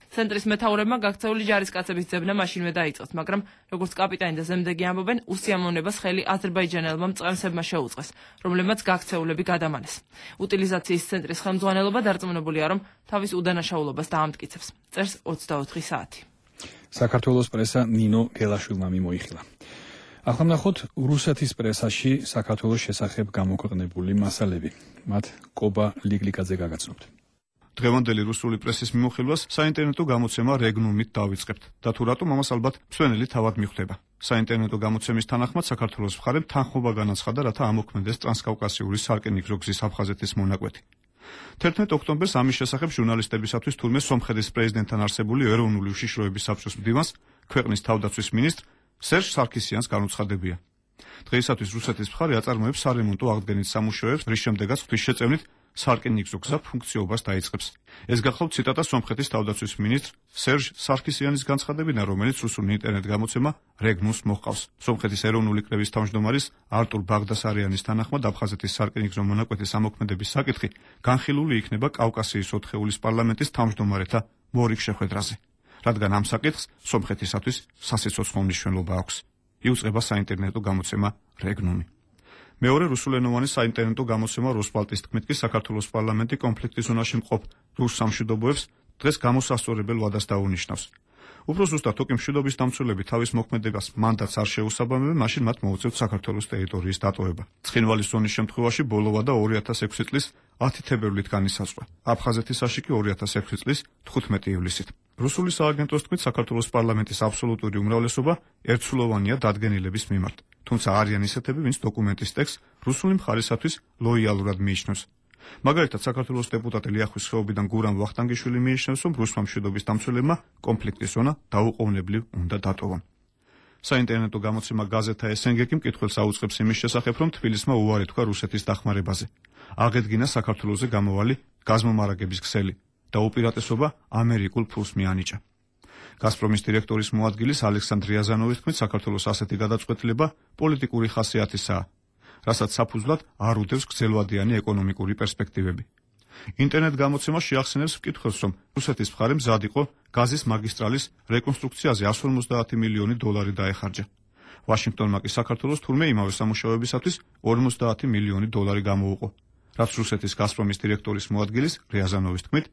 ცენტრის მეთაურებმა გაქცეული ჯარისკაცების ძებნა მაშინვე დაიწყეს, მაგრამ როგორც კაპიტანი და ზემდეგი ამბობენ, უსიამოვნებას ხელი აზერბაიჯანელმა მწყემსებმა შეუწყეს, რომლებმაც გაქცეულები გადამანეს. უტილიზაციის ცენტრის ხელმძღვანელობა დარწმუნებულია, რომ თავის უდანაშაულობას დაამტკიცებს. წერს 24 საათი. საქართველოს პრესა ნინო გელაშვილმა მიმოიხილა. ახლა ვნახოთ რუსეთის პრესაში საქართველოს შესახებ გამოქვეყნებული მასალები. მათ კობა ლიგლიკაძე გაგაცნობთ. დღევანდელი რუსული პრესის მიმოხილვას საინტერნეტო გამოცემა რეგნუმით დავიწყებთ და თუ რატომ ამას ალბათ მსვენელი თავად მიხვდება. საინტერნეტო გამოცემის თანახმად საქართველოს მხარემ თანხმობა განაცხადა, რათა ამოქმედეს ტრანსკავკასიური სარკინიგზო გზის აფხაზეთის მონაკვეთი. 11 ოქტომბერს ამის შესახებ ჟურნალისტებისათვის თურმე სომხეთის პრეზიდენტთან არსებული ეროვნული უშიშროების საბჭოს მდივანს ქვეყნის თავდაცვის მინისტრ სერჟ სარქისიანს განუცხადებია. დღეისათვის რუსეთის მხარე აწარმოებს სარემონტო აღდგენის სამუშაოებს, რის შემდეგაც ღვთისშეწევნით სარკინიგზო გზა ფუნქციობას დაიწყებს. ეს გახლავთ ციტატა სომხეთის თავდაცვის მინისტრ სერჟ სარქისიანის განცხადებიდან, რომელიც რუსული ინტერნეტ გამოცემა რეგნუმს მოჰყავს. სომხეთის ეროვნული კრების თავმჯდომარის არტურ ბაღდასარიანის თანახმად აფხაზეთის სარკინიგზო მონაკვეთის ამოქმედების საკითხი განხილული იქნება კავკასიის 4-ეულის პარლამენტის თავმჯდომარეთა მორიგ შეხვედრაზე, რადგან ამ საკითხს სომხეთისათვის სასიცოცხლო მნიშვნელობა აქვს. იუწყება საინტერნეტო გამოცემა რეგნუმი. მეორე რუსულენოვანი საინტერნეტო გამოცემა როსპალტის თქმით კი საქართველოს პარლამენტი კონფლიქტის ზონაში მყოფ რუს სამშვიდობოებს დღეს გამოსასწორებელ ვადას დაუნიშნავს. უფრო ზუსტად, თუკი მშვიდობის დამცველები თავის მოქმედებას მანდატს არ შეუსაბამებენ, მაშინ მათ მოუწევთ საქართველოს ტერიტორიის დატოვება. ცხინვალის ზონის შემთხვევაში ბოლო ვადა 2006 წლის 10 თებერვლით განისაზღვრა. აფხაზეთისაში კი 2006 წლის 15 ივლისით. რუსული სააგენტოს თქმით, საქართველოს პარლამენტის აბსოლუტური უმრავლესობა ერთსულოვანია დადგენილების მიმართ. თუმცა არიან ისეთები, ვინც დოკუმენტის ტექსტს რუსული მხარისათვის ლოიალურად მიიჩნევს. მაგალითად, საქართველოს დეპუტატი ლიახვის ხეობიდან გურამ ვახტანგიშვილი მიიჩნევს, რომ რუსმა მშვიდობის დამცველებმა კონფლიქტის ზონა დაუყოვნებლივ უნდა დატოვონ. საინტერნეტო გამოცემა გაზეთა SNG-კი მკითხველს აუწყებს იმის შესახებ, რომ თბილისმა უარი თქვა რუსეთის დახმარებაზე. აღედგინა საქართველოზე გამოვალი გაზმომარაგების ქსელი და უპირატესობა ამერიკულ ფულს მიანიჭა. გაზპრომის დირექტორის მოადგილის ალექსანდრ რიაზანოვის თქმით, საქართველოს ასეთი გადაწყვეტილება პოლიტიკური ხასიათისაა, რასაც საფუძვლად არ უდევს გრძელვადიანი ეკონომიკური პერსპექტივები. ინტერნეტ გამოცემა შეახსენებს მკითხველს, რომ რუსეთის მხარე მზად იყო გაზის მაგისტრალის რეკონსტრუქციაზე 150 მილიონი დოლარი დაეხარჯა. ვაშინგტონმა კი საქართველოს თურმე იმავე სამუშაოებისათვის 50 მილიონი დოლარი გამოუყო. რაც რუსეთის გაზპრომის დირექტორის მოადგილის რიაზანოვის თქმით,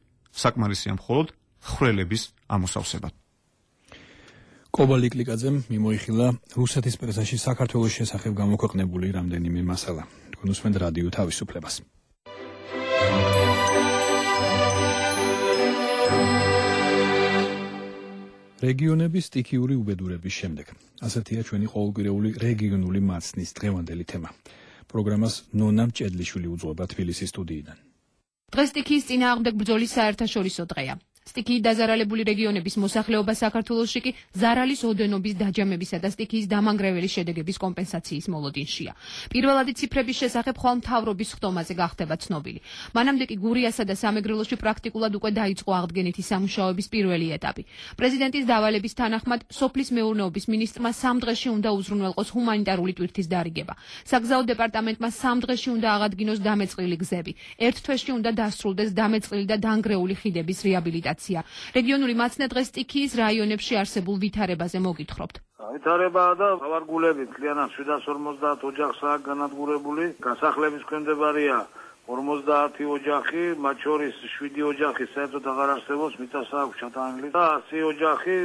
საკმარისია მხოლოდ ხვრელების ამოსავსებად. კობა ლიკლიკაძემ მიმოიხილა რუსეთის პრესაში საქართველოს შესახებ გამოქვეყნებული რამდენიმე მასალა. თქვენ უსმენთ რადიო თავისუფლებას. რეგიონების სტიქიური უბედურების შემდეგ. ასეთია ჩვენი ყოველკვირეული რეგიონული მაცნის დღევანდელი თემა. პროგრამას ნონა მჭედლიშვილი უძღვება თბილისის სტუდიიდან. დღეს სტიქიის წინააღმდეგ ბრძოლის საერთაშორისო დღეა. სტიქიით დაზარალებული რეგიონების მოსახლეობა საქართველოში კი ზარალის ოდენობის დაჯამებისა და სტიქიის დამანგრეველი შედეგების კომპენსაციის მოლოდინშია. პირველადი ციფრების შესახებ ხვალ მთავრობის ხდომაზე გახდება ცნობილი. მანამდე კი გურიასა და სამეგრელოში პრაქტიკულად უკვე დაიწყო აღდგენითი სამუშაოების პირველი ეტაპი. პრეზიდენტის დავალების თანახმად სოფლის მეურნეობის მინისტრმა 3 დღეში უნდა უზრუნველყოს ჰუმანიტარული ტვირთის დარიგება. საგზაო დეპარტამენტმა 3 დღეში უნდა აღადგინოს დამეწყრილი გზები. 1 თვეში უნდა დასრულდეს დამეწყრილი და დანგრეული ხიდების რეაბილიტაცია. რეგიონული მაცნე დღეს სტიქიის რაიონებში არსებულ ვითარებაზე მოგითხრობთ. ვითარებაა და ავარგულები მთლიანად 750 ოჯახსაა განადგურებული. გასახლების ქვემდებარია 50 ოჯახი, მათ შორის 7 ოჯახი საერთოდ აღარ არსებობს, მიწას აქვს ჩატანილი და 100 ოჯახი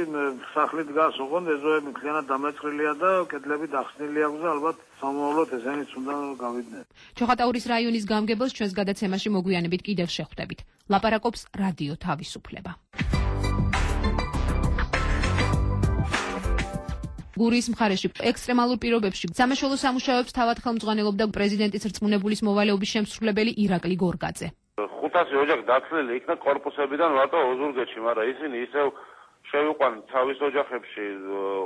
სახლით დგას, ოღონდ ეზოები მთლიანად დამეწყრილია და კედლები დახსნილი აქვს და ალბათ სამოვლოდ ესენიც უნდა გავიდნენ. ჩოხატაურის რაიონის გამგებელს ჩვენს გადაცემაში მოგვიანებით კიდევ შეხვდებით. ლაპარაკობს რადიო თავისუფლება. გურიის მხარეში ექსტრემალურ პირობებში სამაშველო სამუშაოებს თავად ხელმძღვანელობდა პრეზიდენტის რწმუნებულის მოვალეობის შემსრულებელი ირაკლი გორგაძე. 500 ოჯახი დაცლილი იქნა კორპუსებიდან მარტო ოზურგეთში, მაგრამ ისინი ისევ შევიყვანთ თავის ოჯახებში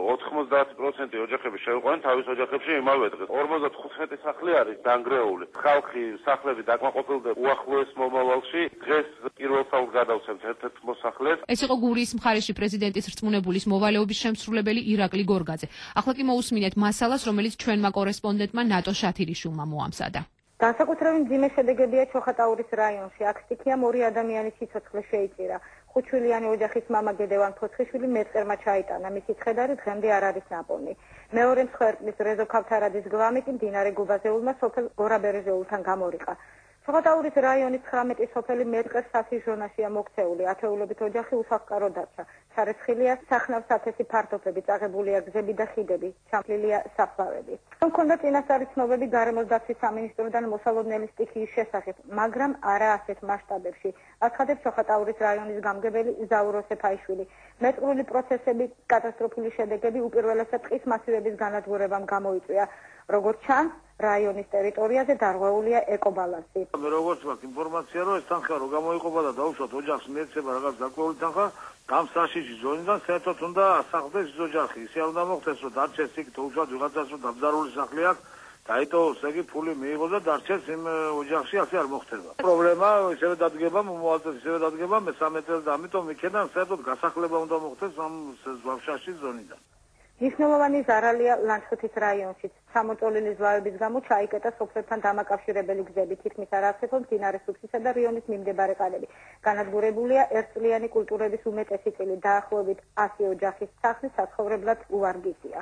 90% ოჯახები შევიყვანთ თავის ოჯახებში იმავე დღეს. 55 სახლი არის დანგრეული. ხალხი სახლები დაკმაყოფილდა უახლოეს მომავალში. დღეს პირველ საუკ გადავცემთ ერთ-ერთ მოსახლეს. ეს იყო გურიის მხარეში პრეზიდენტის რწმუნებულის მოვალეობის შემსრულებელი ირაკლი გორგაძე. ახლა კი მოусმინეთ მასალას, რომელიც ჩვენმა კორესპონდენტმა ნატო შათირიშვილმა მოამზადა. განსაკუთრებით მძიმე შედეგებია ჩოხატაურის რაიონში. აქ სტიქიამ 2 ადამიანის სიცოცხლე შეიწირა. 5-შვილიანი ოჯახის მამა გედევან ფოცხიშვილი მეწყერმა ჩაიტანა. მისი ცხედარი დღემდე არ არის ნაპოვნი. მეორე მსხვერპლის რეზო ქავთარაძის გვამი კი მდინარე გუბაზეულმა სოფელ გორაბერეჟეულთან გამორიყა. ჩოხატაურის რაიონის 19 სოფელი მეწყერს სასის ზონაშია მოქცეული. ათეულობით ოჯახი უსახკარო დარჩა. ჩარეცხილია სახნავ სათესი ფართობები, წაღებულია გზები და ხიდები, ჩამფლილია საფლავები. მქონდა წინასწარი ცნობები გარემოს დაცვის სამინისტროდან მოსალოდნელი სტიქიის შესახებ, მაგრამ არა ასეთ მასშტაბებში. აცხადებს ჩოხატაურის რაიონის გამგებელი ზაურო სეფაიშვილი. მეწყრული პროცესები, კატასტროფული შედეგები უპირველესად ტყის მასივების განადგურებამ გამოიწვია. როგორც ჩანს, რაიონის ტერიტორიაზე დარღვეულია ეკობალანსი. მე როგორც მაქვს ინფორმაცია, რომ ეს თანხა რო გამოიყოფა და დაუშვათ ოჯახს მიეცემა რაღაც დაკვეული თანხა, ამ საშიში ზონიდან საერთოდ უნდა ასახდეს ის ოჯახი. ისე არ უნდა მოხდეს, რომ დარჩეს იქ დაუშვათ ვიღაცას, რომ დამძარული სახლი აქვს, დაიტოვოს ეგ ფული მიიღოს და დარჩეს იმ ოჯახში, ასე არ მოხდება. პრობლემა ისევე დადგება, მომავალწელს ისევე დადგება, მე-13 წელს და ამიტომ იქიდან საერთოდ გასახლება უნდა მოხდეს ამ ზღვაშაში ზონიდან. მნიშვნელოვანი ზარალია ლანჩხუთის რაიონშიც. სამოწოლილი ზვავების გამო ჩაიკეტა სოფლებთან დამაკავშირებელი გზები, თითქმის არ არსებობს მდინარე სუფსისა და რიონის მიმდებარე ყალები. განადგურებულია ერთწლიანი კულტურების უმეტესი წილი, დაახლოებით 100 ოჯახის სახლი საცხოვრებლად უვარგისია.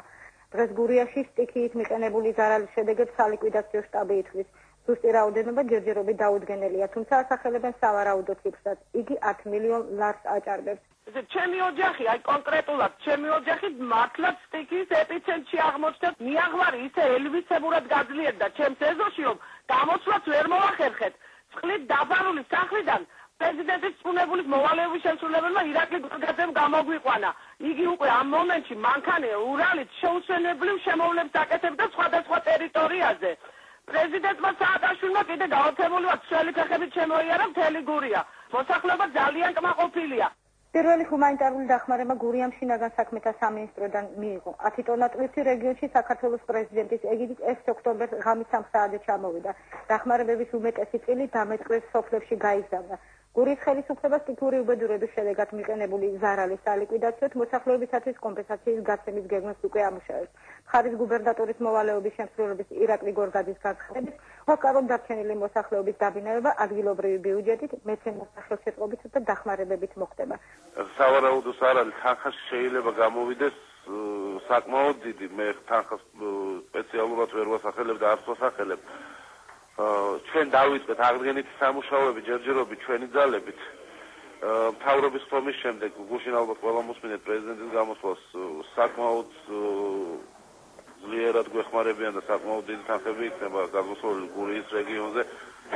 დღეს გურიაში სტიქიით მიყენებული ზარალის შედეგებს სალიკვიდაციო შტაბი ითვლის. ზუსტი რაოდენობა ჯერჯერობით დაუდგენელია, თუმცა ასახელებენ სავარაუდო ციფრსაც. იგი 10 მილიონ ლარს აჭარბებს. ჩემი ოჯახი, აი კონკრეტულად, ჩემი ოჯახი მართლაც სტიქიის ეპიცენტრში აღმოჩნდა. მიაღვარი ისე ელვისებურად გაძლიერდა ჩემს ეზოში, რომ გამოცვლაც ვერ მოახერხეთ. წყლით დაფარული სახლიდან პრეზიდენტის რწმუნებულის მოვალეობის შემსრულებელმა ირაკლი გორგაძემ გამოგვიყვანა. იგი უკვე ამ მომენტში მანქანე ურალით შეუსვენებლივ შემოვლებს აკეთებდა სხვადასხვა ტერიტორიაზე. პრეზიდენტმა სააკაშვილმა კიდე გაოცებული ვარ ცველი ფეხებით შემოიარა მთელი გურია. მოსახლეობა ძალიან კმაყოფილია. პირველი ჰუმანიტარული დახმარება გურიამ შინაგან საქმეთა სამინისტროდან მიიღო. 10 ტონა ტვირთი რეგიონში საქართველოს პრეზიდენტის ეგიდით 1 ოქტომბერს ღამის 3 საათზე ჩამოვიდა. დახმარებების უმეტესი წილი დამეწყრეს სოფლებში გაიგზავნა. გურიის ხელისუფლება სტიქიური უბედურების შედეგად მიყენებული ზარალის სალიკვიდაციოდ მოსახლეობისათვის კომპენსაციის გაცემის გეგმას უკვე ამუშავებს. მხარის გუბერნატორის მოვალეობის შემსრულების ირაკლი გორგაძის განცხადებით, უკანონო დარჩენილი მოსახლეობის დაბინავება ადგილობრივი ბიუჯეტით, მეცენათა ხელშეწყობით და დახმარებებით მოხდება. სავარაუდო ზარალი თანხაში შეიძლება გამოვიდეს საკმაოდ დიდი, მე თანხას სპეციალურად ვერ ვასახელებ და არც ვასახელებ. ჩვენ დავიწყეთ აღდგენითი სამუშაოები ჯერჯერობით ჩვენი ძალებით. მთავრობის ხომის შემდეგ გუშინ ალბათ ყველა მოსმინეთ პრეზიდენტის გამოსვლას საკმაოდ ძლიერად გვეხმარებიან და საკმაოდ დიდი თანხები იქნება გამოსვლელი გურიის რეგიონზე,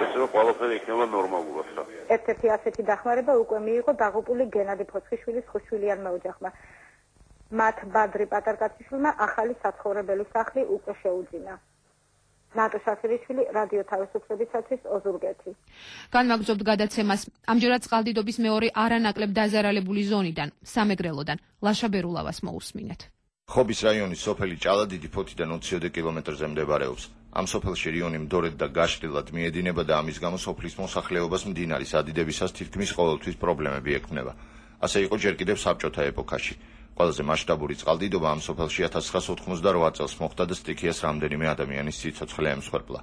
ესე რომ ყველაფერი იქნება ნორმალურად რა. ერთ-ერთი ასეთი დახმარება უკვე მიიღო დაღუპული გენადი ფოცხიშვილის ხუთშვილიანმა ოჯახმა. მათ ბადრი პატარკაციშვილმა ახალი საცხოვრებელი სახლი უკვე შეუძინა. ნატო შაქერიშვილი, რადიო თავისუფლებისათვის ოზურგეთი. განვაგრძობთ გადაცემას. ამჯერად წყალდიდობის მეორე არანაკლებ დაზარალებული ზონიდან, სამეგრელოდან, ლაშა ბერულავას მოусმინეთ. ხობის რაიონის სოფელი ჭალადიდი ფოთიდან 20 კილომეტრზე მდებარეობს. ამ სოფელში რიონი მდორედ და გაშლილად მიედინება და ამის გამო სოფლის მოსახლეობას მდინარის ადიდებისას თითქმის ყოველთვის პრობლემები ექმნება. ასე იყო ჯერ კიდევ საბჭოთა ეპოქაში. ყველაზე მასშტაბური წყალდიდობა ამ სოფელში 1988 წელს მოხდა და სტიქიას რამდენიმე ადამიანის სიცოცხლე ემსხვერპლა.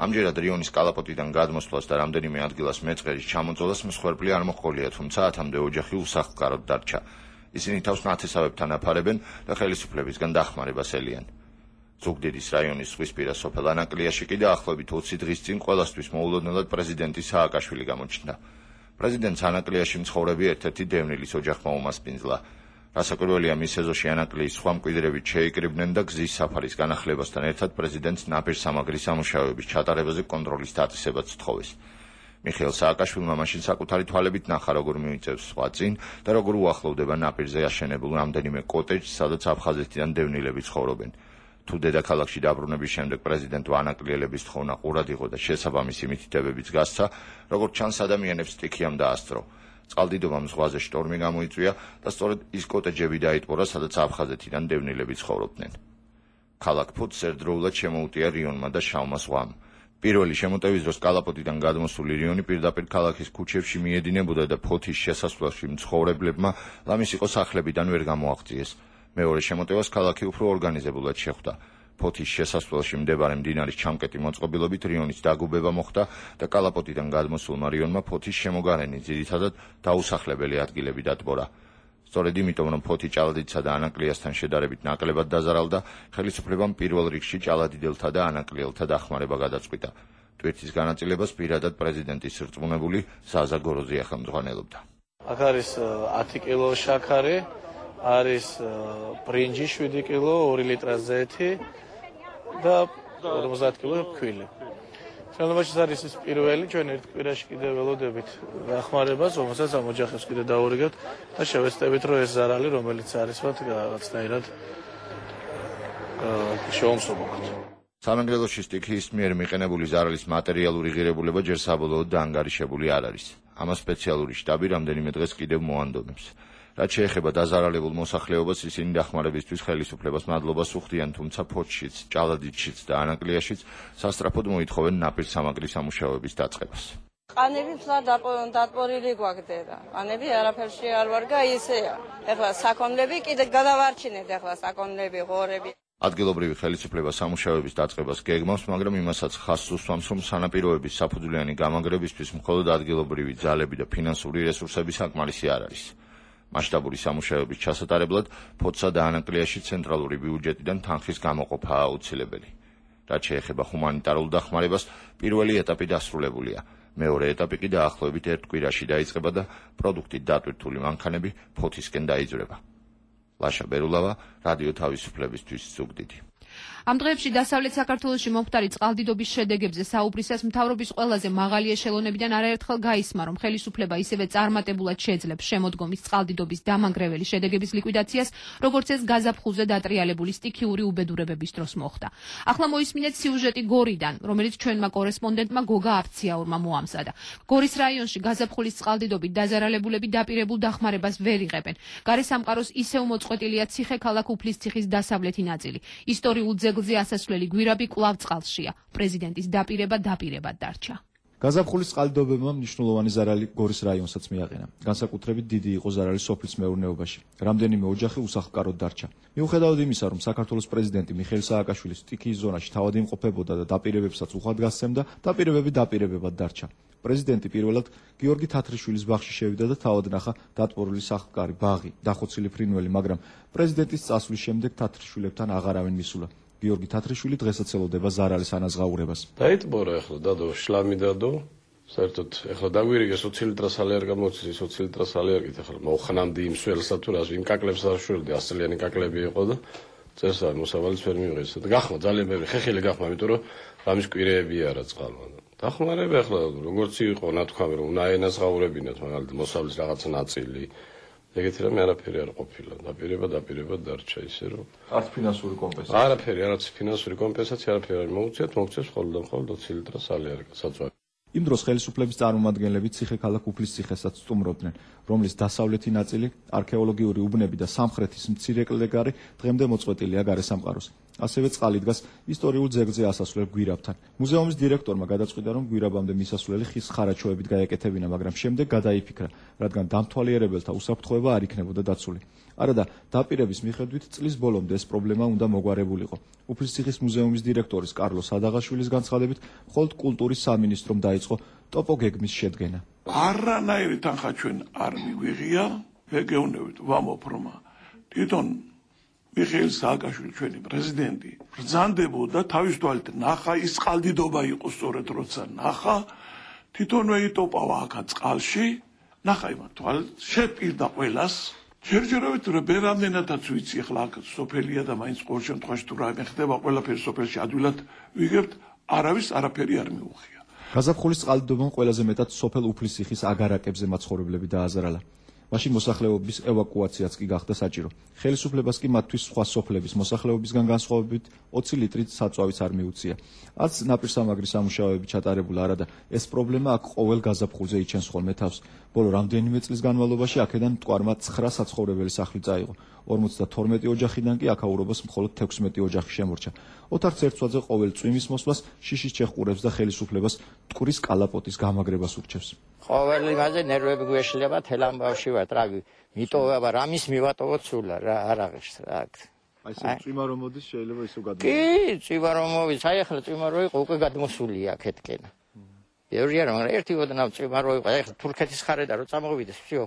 ამჯერად რიონის კალაპოტიდან გადმოსვლას და რამდენიმე ადგილას მეწყერის ჩამოწოლას მსხვერპლი არ მოჰყოლია, თუმცა 10-მდე ოჯახი უსახლკაროდ დარჩა. ისინი თავს ნათესავებთან აფარებენ და ხელისუფლებისგან დახმარებას ელიან. ზუგდიდის რაიონის ზღვისპირა სოფელ ანაკლიაში კი დაახლოებით 20 დღის წინ ყველასთვის მოულოდნელად პრეზიდენტი სააკაშვილი გამოჩნდა. პრეზიდენტს ანაკლიაში მცხოვრები ერთ-ერთი დევნილის ოჯახმა უმასპინძლა. რასაკვირველია, მის ეზოში ანაკლიის სხვა მკვიდრებით შეიკრიბნენ და გზის საფარის განახლებასთან ერთად პრეზიდენტს ნაპირსამაგრის სამუშაოების ჩატარებაზე კონტროლის დაწესებაც სთხოვეს. მიხეილ სააკაშვილმა მაშინ საკუთარი თვალებით ნახა, როგორ მიიწევს სხვა წინ და როგორ უახლოვდება ნაპირზე აშენებულ რამდენიმე კოტეჯს, სადაც აფხაზეთიდან დევნილები ცხოვრობენ. თუ დედაქალაქში დაბრუნების შემდეგ პრეზიდენტმა ანაკლიელების თხოვნა ყურად იყო და შესაბამისი მითითებებიც გასცა, როგორც ჩანს, ადამიანებს სტიქიამ დაასწრო. წყალდიდობამ ზღვაზე შტორმი გამოიწვია და სწორედ ის კოტეჯები დაიტყურა, სადაც აფხაზეთიდან დევნილები ცხოვრობდნენ. ქალაქ ფოთს ერთდროულად შემოუტია რიონმა და შავმა ზღვამ. პირველი შემოტევის დროს კალაპოტიდან გადმოსული რიონი პირდაპირ ქალაქის ქუჩებში მიედინებოდა და ფოთის შესასვლელში მცხოვრებლებმა ლამის იყო სახლებიდან ვერ გამოაღწიეს. მეორე შემოტევას ქალაქი უფრო ორგანიზებულად შეხვდა. ფოთის შესასვლელში მდებარე მდინარის ჩამკეტი მოწყობილობით რიონის დაგუბება მოხდა და კალაპოტიდან გადმოსულმა რიონმა ფოთის შემოგარენი ძირითადად დაუსახლებელი ადგილები დატბორა. სწორედ იმიტომ, რომ ფოთი ჭალადიდსა და ანაკლიასთან შედარებით ნაკლებად დაზარალდა, ხელისუფლებამ პირველ რიგში ჭალადიდელთა და ანაკლიელთა დახმარება გადაწყვიტა. ტვირთის განაწილებას პირადად პრეზიდენტის რწმუნებული ზაზა გოროზია ხელმძღვანელობდა. აქ არის 10 კილო შაქარი, არის ბრინჯი 7 კილო, 2 ლიტრა ზეთი და 50 კილო ქვილი. შემდგომში არის ის პირველი, ჩვენ ერთ კვირაში კიდევ ველოდებით დახმარებას, რომელსაც ამ ოჯახებს კიდევ დაურიგებთ და შევეცდებით, რომ ეს ზარალი, რომელიც არის მათ რაღაცნაირად შევამსუბუქოთ. სამეგრელოში სტიქიის მიერ მიყენებული ზარალის მატერიალური ღირებულება ჯერ საბოლოოდ დაანგარიშებული არ არის. ამას სპეციალური შტაბი რამდენიმე დღეს კიდევ მოანდომებს. რაც შეეხება დაზარალებულ მოსახლეობას, ისინი დახმარებისთვის ხელისუფლებას მადლობას უხდიან, თუმცა ფოთშიც, ჭალადიდშიც და ანაკლიაშიც სასწრაფოდ მოითხოვენ ნაპირსამაგრის სამუშაოების დაწყებას. ყანები ფლად დატბორილი გვაგდერა. ყანები არაფერში არ ვარგა ისეა. ეხლა საქონლები კიდე გადავარჩინეთ, ეხლა საქონლები, ღორები. ადგილობრივი ხელისუფლება სამუშაოების დაწყებას გეგმავს, მაგრამ იმასაც ხაზს უსვამს, რომ სანაპიროების საფუძვლიანი გამაგრებისთვის მხოლოდ ადგილობრივი ძალები და ფინანსური რესურსები საკმარისი არ არის. მასშტაბური სამუშაოების ჩასატარებლად ფოთსა და ანაკლიაში ცენტრალური ბიუჯეტიდან თანხის გამოყოფაა აუცილებელი. რაც შეეხება ჰუმანიტარულ დახმარებას, პირველი ეტაპი დასრულებულია. მეორე ეტაპი კი დაახლოებით ერთ კვირაში დაიწყება და პროდუქტით დატვირთული მანქანები ფოთისკენ დაიძვრება. ლაშა ბერულავა, რადიო თავისუფლებისთვის ზუგდიდი. ამ დღეებში დასავლეთ საქართველოში მომხდარი წყალდიდობის შედეგებზე საუბრისას მთავრობის ყველაზე მაღალი ეშელონებიდან არაერთხელ გაისმა, რომ ხელისუფლება ისევე წარმატებულად შეძლებს შემოდგომის წყალდიდობის დამანგრეველი შედეგების ლიკვიდაციას, როგორც ეს გაზაფხულზე დატრიალებული სტიქიური უბედურებების დროს მოხდა. ახლა მოისმინეთ სიუჟეტი გორიდან, რომელიც ჩვენმა კორესპონდენტმა გოგა აფციაურმა მოამზადა. გორის რაიონში გაზაფხულის წყალდიდობით დაზარალებულები დაპირებულ დახმარებას ვერ იღებენ. გარესამყაროს ისევ მოწყვეტილია ციხე-ქალაქ უფლისციხის დასავლეთი ნაწილი. ისტორიულ ძეგლზე ასასვლელი გვირაბი კვლავ წყალშია. პრეზიდენტის დაპირებად დარჩა. გაზაფხულის წყალდიდობებმა მნიშვნელოვანი ზარალი გორის რაიონსაც მიაყენა. განსაკუთრებით დიდი იყო ზარალი სოფლის მეურნეობაში. რამდენიმე ოჯახი უსახლკაროდ დარჩა. მიუხედავად იმისა, რომ საქართველოს პრეზიდენტი მიხეილ სააკაშვილი სტიქიის ზონაში თავად იმყოფებოდა და დაპირებებსაც უხად გასცემდა, დაპირებები დაპირებებად დარჩა. პრეზიდენტი პირველად გიორგი თათრიშვილის ბაღში შევიდა და თავად ნახა დატბორილი სახლკარი, ბაღი, დახოცილი ფრინველი, მაგრამ პრეზიდენტის წასვლის შემდეგ თათრიშვილებთან აღარავინ მისულა. გიორგი თათრიშვილი დღესაც ელოდება ზარალის ანაზღაურებას. დაიტბორა ახლა დადო შლამი დადო. საერთოდ ახლა დაგვირიგე 20 ლიტრას ალერგა გამოცდის 20 ლიტრას ალერგით ახლა მოხნამდი იმ სველსა თუ რას იმ კაკლებს არ შვილდი 100 წლიანი კაკლები იყო და წესა მოსავალის ვერ მიიღეს და გახმა ძალიან ბევრი ხეხილი გახმა იმიტომ რომ რამის კვირეები არა წყალმა დახმარება ახლა როგორც იყო ნათქვამი რომ უნდა ენაზღაურებინათ მაგალითად მოსავლის რაღაცა ნაწილი ეგეთი რამე არაფერი არ ყოფილა დაპირება დარჩა ისე რომ არც ფინანსური კომპენსაცია არც ფინანსური კომპენსაცია არაფერი არ მოუწიათ მოუწევს მხოლოდ 20 litrას ალერგა საწვავი იმ დროს ხელისუფლების წარმომადგენლები ციხე-ქალაქ უფლის ციხესაც სტუმრობდნენ, რომლის დასავლეთი ნაწილი, არქეოლოგიური უბნები და სამხრეთის მცირე კლდეგარი დღემდე მოწყვეტილია გარესამყაროს. ასევე წყალი დგას ისტორიულ ძეგლზე ასასვლელ გვირაბთან. მუზეუმის დირექტორმა გადაწყვიტა, რომ გვირაბამდე მისასვლელი ხის ხარაჩოებით გაეკეთებინა, მაგრამ შემდეგ გადაიფიქრა, რადგან დამთვალიერებელთა უსაფრთხოება არ იქნებოდა დაცული. არადა დაპირების მიხედვით წლის ბოლომდე ეს პრობლემა უნდა მოგვარებულიყო. უფლისციხის მუზეუმის დირექტორის კარლოს ადაღაშვილის განცხადებით, მხოლოდ კულტურის სამინისტრომ დაიწყო ტოპოგეგმის შედგენა. არანაირი თანხა ჩვენ არ მიგვიღია, ვეგეუნებით ვამოფრმა. თვითონ მიხეილ სააკაშვილი ჩვენი პრეზიდენტი ბრძანდებოდა თავის თვალით ნახა ის წყალდიდობა იყო სწორედ როცა ნახა თვითონვე იტოპავა აქა წყალში ნახა იმ თვალით შეპირდა ყველას ჯერჯერობით რომ ბერამდენადაც ვიცი ახლა აქ სოფელია და მაინც ყოველ შემთხვევაში თუ რაიმე ხდება ყველაფერი სოფელში ადვილად ვიგებთ არავის არაფერი არ მიუღია გაზაფხულის წყალდიდობამ ყველაზე მეტად სოფელ უფლისციხის აგარაკებზე მაცხოვრებლები დააზარალა მაშინ მოსახლეობის ევაკუაციაც კი გახდა საჭირო. ხელისუფლებას კი მათთვის სხვა სოფლების მოსახლეობისგან განსხვავებით 20 ლიტრით საწვავიც არ მიუწია. არც ნაპირსამაგრის სამუშაოები ჩატარებულა არადა ეს პრობლემა აქ ყოველ გაზაფხულზე იჩენს ხოლმე თავს. ბოლო რამდენიმე წლის განმავლობაში აქედან მტკვარმა 9 საცხოვრებელი სახლი წაიღო. 52 ოჯახიდან კი აქაურობას მხოლოდ 16 ოჯახი შემორჩა. ოთარ ცერცვაძე ყოველ წვიმის მოსვლას შიშის ჩეხყურებს და ხელისუფლებას მტკვრის კალაპოტის გამაგრებას ურჩევს. ყოველი მაზე ნერვები გვეშლება თელ ამბავში ვარ რა მიტოვება რამის მივატოვოთ სულა რა არ აღებს რა აი ეს წვიმა რომ მოდის შეიძლება ისო გადმო კი წვიმა რომ მოვის აი ახლა წვიმა რო იყო უკვე გადმოსულია აქეთკენ ბევრია რომ ერთი ოდნავ წვიმა რო იყო აი თურქეთის ხარედა რო წამოვიდეს всё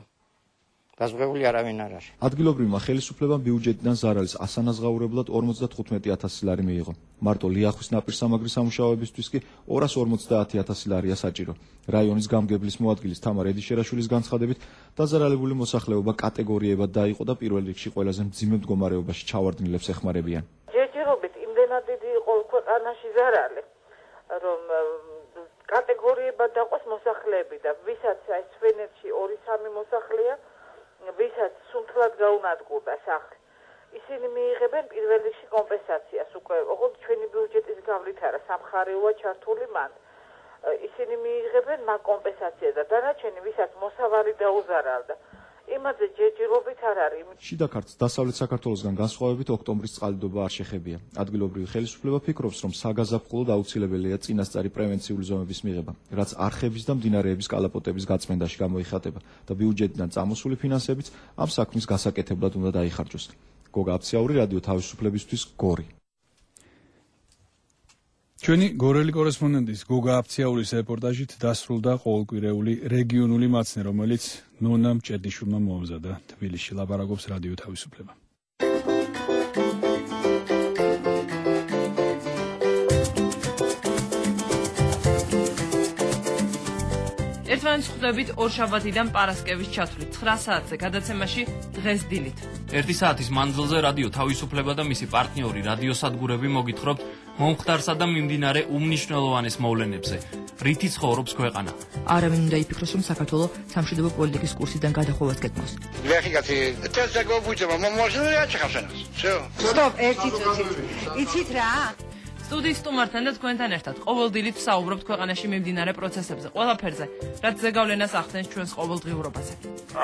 გაზღვეული არავინ არ არის. ადგილობრივმა ხელისუფლებამ ბიუჯეტიდან ზარალის ასანაზღაურებლად 55000 ლარი მიიღო. მარტო ლიახვის ნაპირსამაგრის სამუშაოებისთვის კი 250000 ლარია საჭირო. რაიონის გამგებლის მოადგილის თამარ ედიშერაშვილის განცხადებით, დაზარალებული მოსახლეობა კატეგორიებად დაიყო და პირველ რიგში ყველაზე მძიმე მდგომარეობაში ჩავარდნილებს ეხმარებიან. ჯერჯერობით იმდენად დიდი იყო ქვეყანაში ზარალი, რომ კატეგორიებად დაყოს მოსახლეები და ვისაც აი სვენეთში 2-3 მოსახლეა ვისაც სუნთლად გაუნადგურდა სახლი. ისინი მიიღებენ პირველ რიგში კომპენსაციას უკვე, ოღონდ ჩვენი ბიუჯეტის გავლით არა, სამხარეოა ჩართული მან. ისინი მიიღებენ მაგ კომპენსაციას და დანარჩენი ვისაც მოსავალი დაუზარალდა. იმაზე ჯერჯერობით არ არის. შიდა ქართლს დასავლეთ საქართველოსგან განსხვავებით ოქტომბრის წყალდიდობა არ შეხებია. ადგილობრივი ხელისუფლება ფიქრობს, რომ საგაზაფხულოდ აუცილებელია წინასწარი პრევენციული ზომების მიღება, რაც არხების და მდინარეების კალაპოტების გაწმენდაში გამოიხატება და ბიუჯეტიდან წამოსული ფინანსებიც ამ საქმის გასაკეთებლად უნდა დაიხარჯოს. გოგა აფციაური, რადიო თავისუფლებისთვის, გორი. ჩვენი გორელი კორესპონდენტის გოგა აფციაურის რეპორტაჟით დასრულდა ყოველკვირეული რეგიონული მაცნე, რომელიც ნონა მჭედიშვილმა მოამზადა. თბილისში ლაპარაკობს რადიო თავისუფლება. ერთმანეთს ხვდებით ორშაბათიდან პარასკევის ჩათვლით 9 საათზე გადაცემაში დღეს დილით. 1 საათის მანძილზე რადიო თავისუფლება და მისი პარტნიორი რადიოსადგურები მოგითხრობთ მომხდარსა და მიმდინარე უმნიშვნელოვანეს მოვლენებზე. რითი ცხოვრობს ქვეყანა? არავინ უნდა იფიქროს, რომ საქართველოს სამშვიდობო პოლიტიკის კურსიდან გადახოვას გეკმოს. ვეხიგაცი წესაგო ბუჯება მომოშლია ჩახავშენას. всё. სტოპ, ერთი წუთი. იცით რა? სტუდიის სტუმართან და თქვენთან ერთად ყოველ დილით ვსაუბრობთ ქვეყანაში მიმდინარე პროცესებზე, ყველაფერზე, რაც ზეგავლენას ახდენს ჩვენს ყოველდღიურობაზე.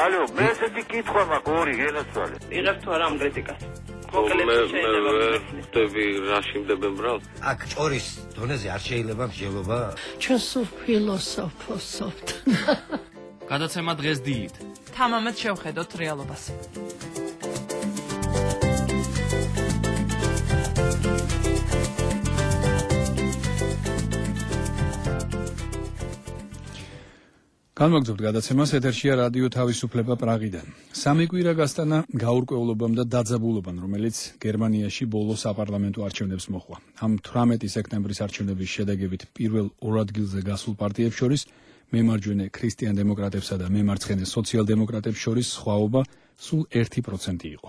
ალო, მე ესეთი კითხვა მაქვს ორი გენაცვალე. იღებ თუ არა ამ კრიტიკას? ხდები რაში მდებენ ბრალ? აქ ჭორის დონეზე არ შეიძლება მსჯელობა. ჩვენ სულ ფილოსოფოსობთ. გადაცემა დღეს დილით. თამამად შევხედოთ რეალობას. განმოგრძობთ გადაცემას, ეთერშია რადიო თავისუფლება პრაღიდან. სამი კვირა გასტანა გაურკვევლობამ და დაძაბულობამ, რომელიც გერმანიაში ბოლო საპარლამენტო არჩევნებს მოჰყვა. ამ 18 სექტემბრის არჩევნების შედეგებით პირველ ორ ადგილზე გასულ პარტიებს შორის მემარჯვენე ქრისტიან დემოკრატებსა და მემარცხენე სოციალ-დემოკრატებს შორის სხვაობა სულ 1% იყო.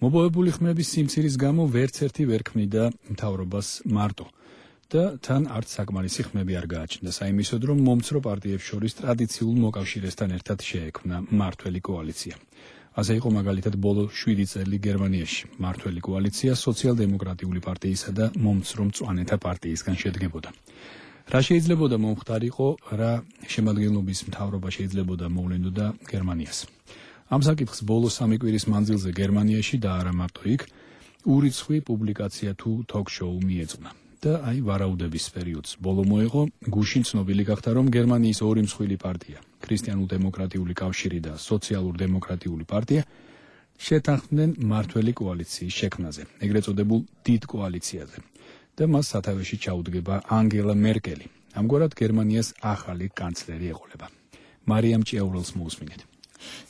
მოპოვებული ხმების სიმცირის გამო ვერც ერთი ვერ ქმნიდა მთავრობას მარტო. და თან არც საკმარისი ხმები არ გააჩნდა საიმისოდ, რომ მომცრო პარტიებს შორის ტრადიციულ მოკავშირესთან ერთად შეექმნა მმართველი კოალიცია. ასე იყო მაგალითად ბოლო 7 წელი გერმანიაში. მმართველი კოალიცია სოციალ-დემოკრატიული პარტიისა და მომცრო მწვანეთა პარტიისგან შედგებოდა. რა შეიძლებოდა მომხდარიყო, რა შემადგენლობის მთავრობა შეიძლებოდა მოვლენოდა გერმანიას. ამ საკითხს ბოლო 3 კვირის მანძილზე გერმანიაში და არა მარტო იქ ურიცხვი პუბლიკაცია თუ თოქ-შოუ მიეძღვნა. და აი ვარაუდების პერიოდს ბოლო მოეღო, გუშინ ცნობილი გახდა, რომ გერმანიის ორი მსხვილი პარტია, ქრისტიანულ-დემოკრატიული კავშირი და სოციალურ-დემოკრატიული პარტია შეთანხმდნენ მმართველი კოალიციის შექმნაზე, ეგრეთ წოდებულ დიდ კოალიციაზე. და მას სათავეში ჩაუდგება ანგელა მერკელი. ამგვარად გერმანიას ახალი კანცლერი ეყოლება. მარიამ ჭიაურელს მოусმინეთ.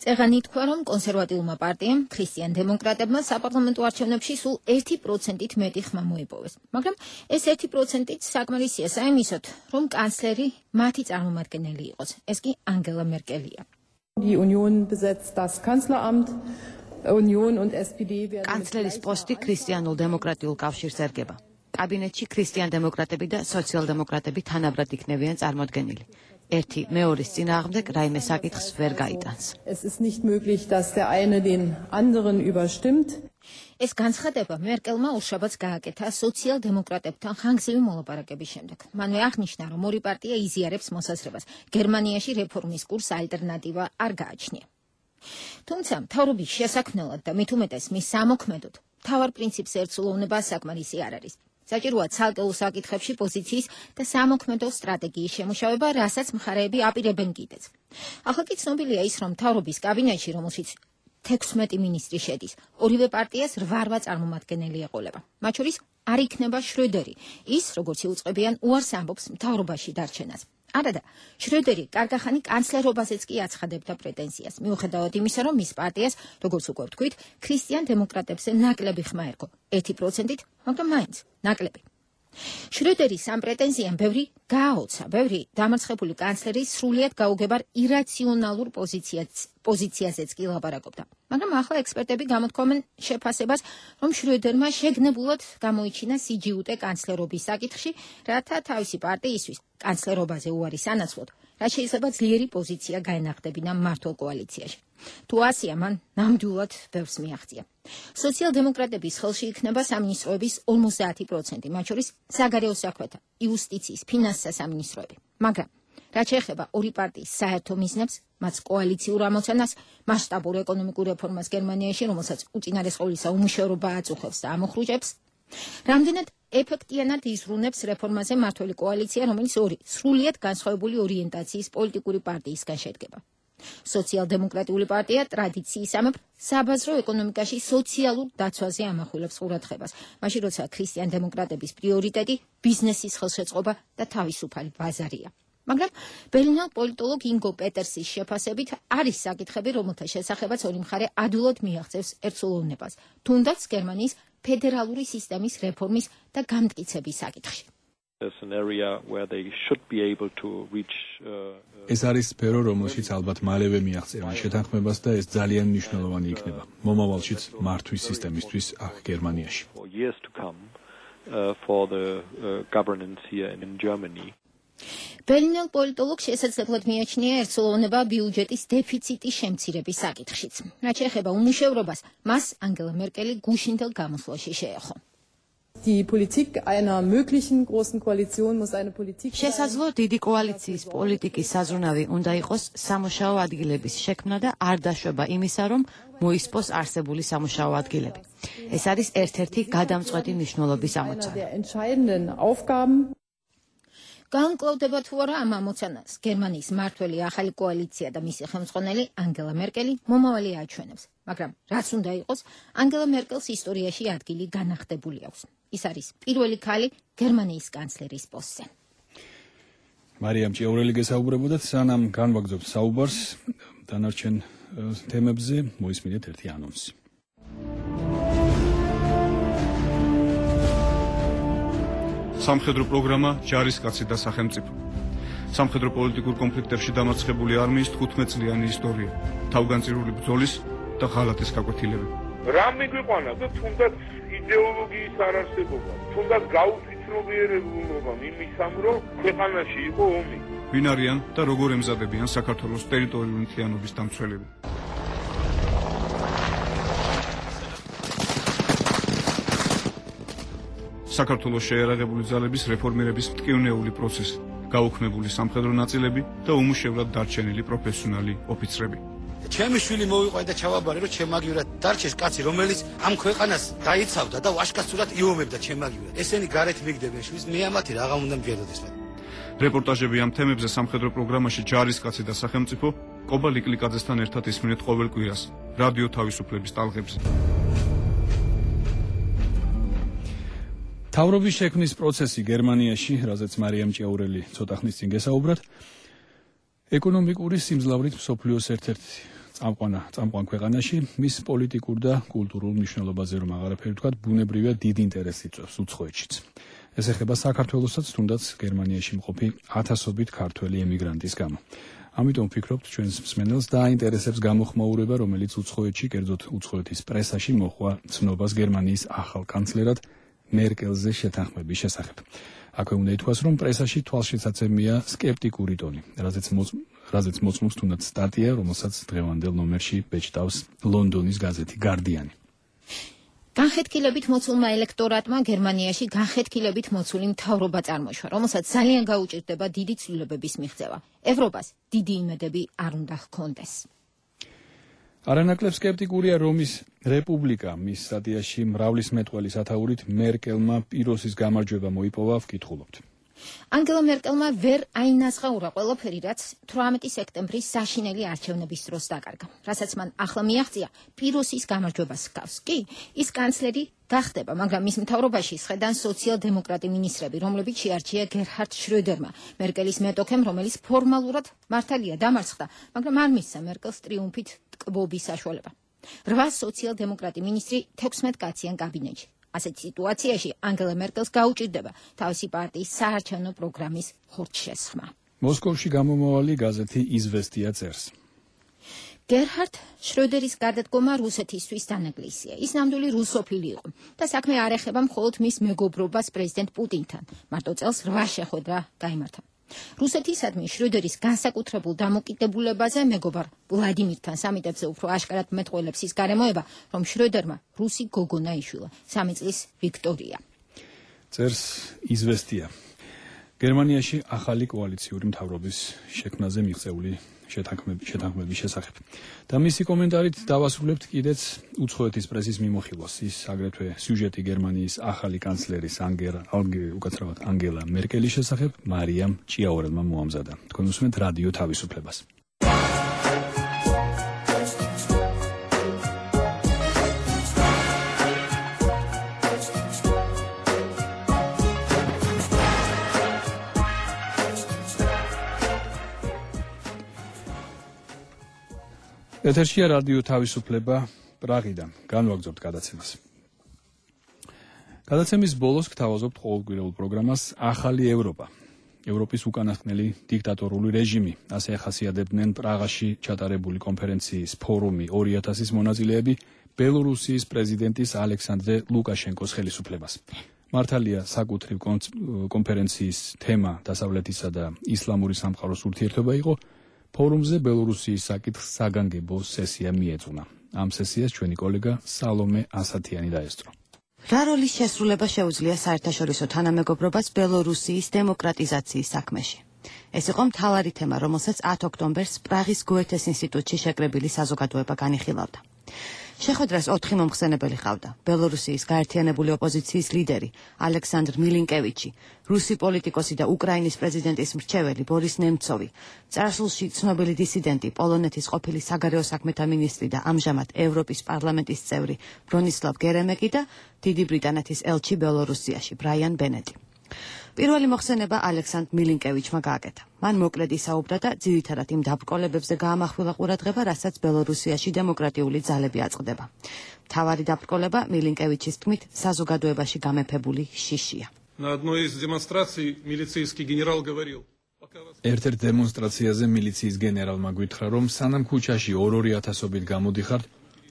წეღანი თქვა, რომ კონსერვატიულმა პარტიამ, ქრისტიან დემოკრატებმა საპარლამენტო არჩევნებში სულ 1%-ით მეტი ხმა მოიპოვეს. მაგრამ ეს 1%-ით საკმარისია საიმისოდ, რომ კანცლერი მათი წარმომადგენელი იყოს. ეს კი ანგელა მერკელია. Die Union besetzt das Kanzleramt. Union und SPD werden კანცლერის პოსტი ქრისტიანულ-დემოკრატიულ კავშირს ერგება. კაბინეტში ქრისტიან-დემოკრატები და სოციალ-დემოკრატები თანაბრად იქნებიან წარმოდგენილი. ერთი მეორის წინააღმდეგ რაიმე საკითხს ვერ გაიტანს. Es ist nicht möglich, dass der eine den anderen überstimmt. ეს განცხადება მერკელმა უშაბათს გააკეთა სოციალ-დემოკრატებთან ხანგრძლივი მოლაპარაკების შემდეგ. მანვე აღნიშნა, რომ ორი პარტია იზიარებს მოსაზრებას. გერმანიაში რეფორმის კურსს ალტერნატივა არ გააჩნია. თუმცა მთავრობის შესაქმნელად და მით უმეტეს მის სამოქმედოდ მთავარ პრინციპს ერთსულოვნება საკმარისი არ არის. საჭიროა ცალკეულ საკითხებში პოზიციის და სამოქმედო სტრატეგიის შემუშავება, რასაც მხარეები აპირებენ კიდეც. ახლა კი ცნობილია ის, რომ მთავრობის კაბინეტში, რომელშიც 16 მინისტრი შედის, ორივე პარტიას 8 წარმომადგენელი ეყოლება. მათ შორის არ იქნება შროდერი, ის, როგორც იუწყებიან, უარს ამბობს მთავრობაში დარჩენას. არადა, შროდერი კარგახანი კანცლერობაზეც კი აცხადებდა პრეტენზიას, მიუხედავად იმისა, რომ მის პარტიას, როგორც უკვე ვთქვით, ქრისტიან დემოკრატებზე ნაკლები ხმა ერგო, 1%-ით, მაგრამ მაინც ნაკლები. შროდერის ამ პრეტენზიამ ბევრი გააოცა, ბევრი დამარცხებული კანცლერი სრულიად გაუგებარ ირაციონალურ პოზიციაზეც კი ლაპარაკობდა. მაგრამ ახლა ექსპერტები გამოთქვამენ შეფასებას, რომ შროდერმა შეგნებულად გამოიჩინა სიჯიუტე კანცლერობის საკითხში, რათა თავისი პარტიისთვის კანცლერობაზე უარის ანაცვლოდ, რაც შეიძლება ძლიერი პოზიცია გაენახდებინა მმართველ კოალიციაში. თუ ასია, მან ნამდვილად ბევრს მიაღწია. სოციალ-დემოკრატების ხელში იქნება სამინისტროების 50%, მათ შორის საგარეო საქმეთა, იუსტიციის, ფინანსთა სამინისტროები. მაგრამ რაც შეეხება ორი პარტიის საერთო მიზნებს, მათ კოალიციურ ამოცანას, მასშტაბურ ეკონომიკურ რეფორმას გერმანიაში, რომელსაც უწინარეს ყოვლისა უმუშევრობა აწუხებს და ამოხრუჭებს, რამდენად ეფექტიანად იზრუნებს რეფორმაზე მმართველი კოალიცია, რომელიც ორი სრულიად განსხვავებული ორიენტაციის პოლიტიკური პარტიისგან შედგება. სოციალ-დემოკრატიული პარტია ტრადიციისამებრ საბაზრო ეკონომიკაში სოციალურ დაცვაზე ამახვილებს ყურადღებას, მაშინ როცა ქრისტიან-დემოკრატების პრიორიტეტი ბიზნესის ხელშეწყობა და თავისუფალი ბაზარია. მაგრამ ბერლინელ პოლიტოლოგ ინგო პეტერსის შეფასებით არის საკითხები, რომელთა შესახებაც ორი მხარე ადვილად მიაღწევს ერთსულოვნებას, თუნდაც გერმანიის ფედერალური სისტემის რეფორმის და გამტკიცების საკითხში. ეს არის სფერო, რომელშიც ალბათ მალევე მიაღწევენ შეთანხმებას და ეს ძალიან მნიშვნელოვანი იქნება მომავალშიც მართვის სისტემისთვის აქ გერმანიაში. ბერლინელ პოლიტოლოგ შესაძლებლად მიაჩნია ერთსულოვნება ბიუჯეტის დეფიციტის შემცირების საკითხშიც. რაც შეეხება უმუშევრობას, მას ანგელა მერკელი გუშინდელ გამოსვლაში შეეხო. Die Politik einer möglichen großen Koalition muss eine Politik sein. შესაძლო დიდი კოალიციის პოლიტიკის საზრუნავი უნდა იყოს სამუშაო ადგილების შექმნა და არ დაშვება იმისა, რომ მოისპოს არსებული სამუშაო ადგილები. ეს არის ერთ-ერთი გადამწყვეტი მნიშვნელობის ამოცანა. განკლავდება თუ არა ამ ამოცანას გერმანიის მმართველი ახალი კოალიცია და მისი ხელმძღვანელი ანგელა მერკელი მომავალი აჩვენებს. მაგრამ რაც უნდა იყოს, ანგელა მერკელს ისტორიაში ადგილი განახდებული აქვს. ის არის პირველი ქალი გერმანიის კანცლერის პოსტზე. მარიამ ჭიაურელი გესაუბრებოდათ, სანამ განვაგრძობთ საუბარს დანარჩენ თემებზე, მოისმინეთ ერთი ანონსი. სამხედრო პროგრამა ჯარისკაცი და სახელმწიფო. სამხედრო პოლიტიკურ კონფლიქტებში დამარცხებული არმიის 15 წლიანი ისტორია, თავგანწირული ბრძოლის და ღალატის გაკვეთილები. რა მიგვიყვანა და თუნდაც იდეოლოგიის არარსებობა, თუნდაც გაუთვითმრობიერებულობა იმისამ, რომ ქვეყანაში იყო ომი. ვინ არიან და როგორ ემზადებიან საქართველოს ტერიტორიული მთლიანობის დამცველები. საქართველოს შეერაღებული ძალების რეფორმირების მტკივნეული პროცესი, გაუქმებული სამხედრო ნაწილები და უმუშევრად დარჩენილი პროფესიონალი ოფიცრები. ჩემი შვილი მოვიყვაი და ჩავაბარე, რომ ჩემაგივრად დარჩეს კაცი, რომელიც ამ ქვეყანას დაიცავდა და ვაშკაცურად იომებდა ჩემაგივრად. ესენი გარეთ მიგდებენ შვილს, მე ამათი რაღა უნდა მჯეროდეს. რეპორტაჟები ამ თემებზე სამხედრო პროგრამაში ჯარისკაცი და სახელმწიფო კობა ლიკლიკაძესთან ერთად ისმინეთ ყოველ კვირას რადიო თავისუფლების ტალღებზე. თავრობის შექმნის პროცესი გერმანიაში, რაზეც მარიამ ჭიაურელი ცოტა ხნის წინ გესაუბრათ, ეკონომიკური სიმძლავრით მსოფლიოს ერთ-ერთი წამყვან ქვეყანაში, მის პოლიტიკურ და კულტურულ მნიშვნელობაზე რომ აღარაფერი ვთქვათ, ბუნებრივია დიდ ინტერესს იწვევს უცხოეთშიც. ეს ეხება საქართველოსაც, თუნდაც გერმანიაში მყოფი ათასობით ქართველი ემიგრანტის გამო. ამიტომ ვფიქრობთ, ჩვენს მსმენელს დააინტერესებს გამოხმაურება, რომელიც უცხოეთში, კერძოდ უცხოეთის პრესაში მოჰყვა ცნობას გერმანიის ახალ კანცლერად მერკელზე შეთანხმების შესახებ. აქვე უნდა ითქვას, რომ პრესაში თვალშეცაცემია სკეპტიკური ტონი, რაზეც მოწმობს თუნდაც სტატია, რომელსაც დღევანდელ ნომერში ბეჭდავს ლონდონის გაზეთი Guardian. განხეთქილებით მოცულმა ელექტორატმა გერმანიაში განხეთქილებით მოცული მთავრობა წარმოიშვა, რომელსაც ძალიან გაუჭირდება დიდი ცვლილებების მიღწევა. ევროპას დიდი იმედები არ უნდა ჰქონდეს. არანაკლებ სკეპტიკურია რომის რეპუბლიკა, მის სტატიაში მრავლის მეტყველის ათაურით მერკელმა პიროსის გამარჯვება მოიპოვა, ვკითხულობთ. ანგელა მერკელმა ვერ აინაზღაურა ყველაფერი, რაც 18 სექტემბრის საშინელი არჩევნების დროს დაკარგა, რასაც მან ახლა მიაღწია პიროსის გამარჯვებას ჰგავს. კი, ის კანცლერი გახდება, მაგრამ მის მთავრობაში ისხედან სოციალ-დემოკრატი მინისტრები, რომლებიც შეარჩია გერჰარდ შროედერმა, მერკელის მეტოქემ, რომელიც ფორმალურად მართალია დამარცხდა, მაგრამ არ მისცა მერკელს ტრიუმფით ტკბობის საშუალება. 8 სოციალ-დემოკრატი მინისტრი 16 კაციან კაბინეტში. ასეთ სიტუაციაში ანგელა მერკელს გაუჭირდება თავისი პარტიის საარჩევნო პროგრამის ხორცშესხმა. მოსკოვში გამომავალი გაზეთი იზვესტია წერს. გერჰარდ შროედერის გარდადგომა რუსეთისთვის დანაკლისია. ის ნამდვილი რუსოფილი იყო და საქმე არ ეხება მხოლოდ მის მეგობრობას პრეზიდენტ პუტინთან. მარტო წელს 8 შეხვედრა გაიმართა. რუსეთისადმი შროედერის განსაკუთრებულ დამოკიდებულებაზე მეგობარ ვლადიმირთან სამიტებზე უფრო აშკარად მეტყველებს ის გარემოება, რომ შროედერმა რუსი გოგონა იშვილა, 3 წლის ვიქტორია. წერს იზვესტია. გერმანიაში ახალი კოალიციური მთავრობის შექმნაზე მიღწეული შეთანხმების შესახებ. და მისი კომენტარით დავასრულებთ კიდეც უცხოეთის პრესის მიმოხილვას. ის აგრეთვე სიუჟეტი გერმანიის ახალი კანცლერის ანგელა მერკელის შესახებ მარიამ ჭიაურელმა მოამზადა. თქვენ უსმენთ რადიო თავისუფლებას. ეთერშია რადიო თავისუფლება პრაღიდან. განვაგრძობთ გადაცემას. გადაცემის ბოლოს გთავაზობთ ყოველკვირეულ პროგრამას ახალი ევროპა. ევროპის უკანასკნელი დიქტატორული რეჟიმი, ასე ახასიათებდნენ პრაღაში ჩატარებული კონფერენციის ფორუმი 2000-ის მონაწილეები ბელორუსიის პრეზიდენტის ალექსანდრე ლუკაშენკოს ხელისუფლებას. მართალია საკუთრივ კონფერენციის თემა დასავლეთისა და ისლამური სამყაროს ურთიერთობა იყო. ფორუმზე ბელორუსიის საკითხს საგანგებო სესია მიეძღვნა. ამ სესიას ჩვენი კოლეგა სალომე ასათიანი დაესწრო. რა როლის შესრულება შეუძლია საერთაშორისო თანამეგობრობას ბელორუსიის დემოკრატიზაციის საქმეში? ეს იყო მთავარი თემა, რომელსაც 10 ოქტომბერს პრაღის გოეთეს ინსტიტუტში შეკრებილი საზოგადოება განიხილავდა. შეხვედრას 4 მომხსენებელი ჰყავდა: ბელორუსიის გაერთიანებული ოპოზიციის ლიდერი ალექსანდრ მილინკევიჩი, რუსი პოლიტიკოსი და უკრაინის პრეზიდენტის მრჩეველი ბორის ნემცოვი, წარსულში ცნობილი დისიდენტი, პოლონეთის ყოფილი საგარეო საქმეთა მინისტრი და ამჟამად ევროპის პარლამენტის წევრი ბრონისლავ გერემეკი და დიდი ბრიტანეთის ელჩი ბელორუსიაში ბრაიან ბენეტი. პირველი მოხსენება ალექსანდრ მილინკევიჩმა გააკეთა. მან მოკლედ ისაუბრა და ძირითადად იმ დაბრკოლებებზე გაამახვილა ყურადღება, რასაც ბელორუსიაში დემოკრატიული ძალები აწყდება. მთავარი დაბრკოლება მილინკევიჩის თქმით საზოგადოებაში გამეფებული შიშია. На одной из демонстраций милицейский генерал говорил: ერთ-ერთ დემონსტრაციაზე მილიციის გენერალმა გვითხრა, რომ სანამ ქუჩაში 2-2000-ობით გამოდიხართ,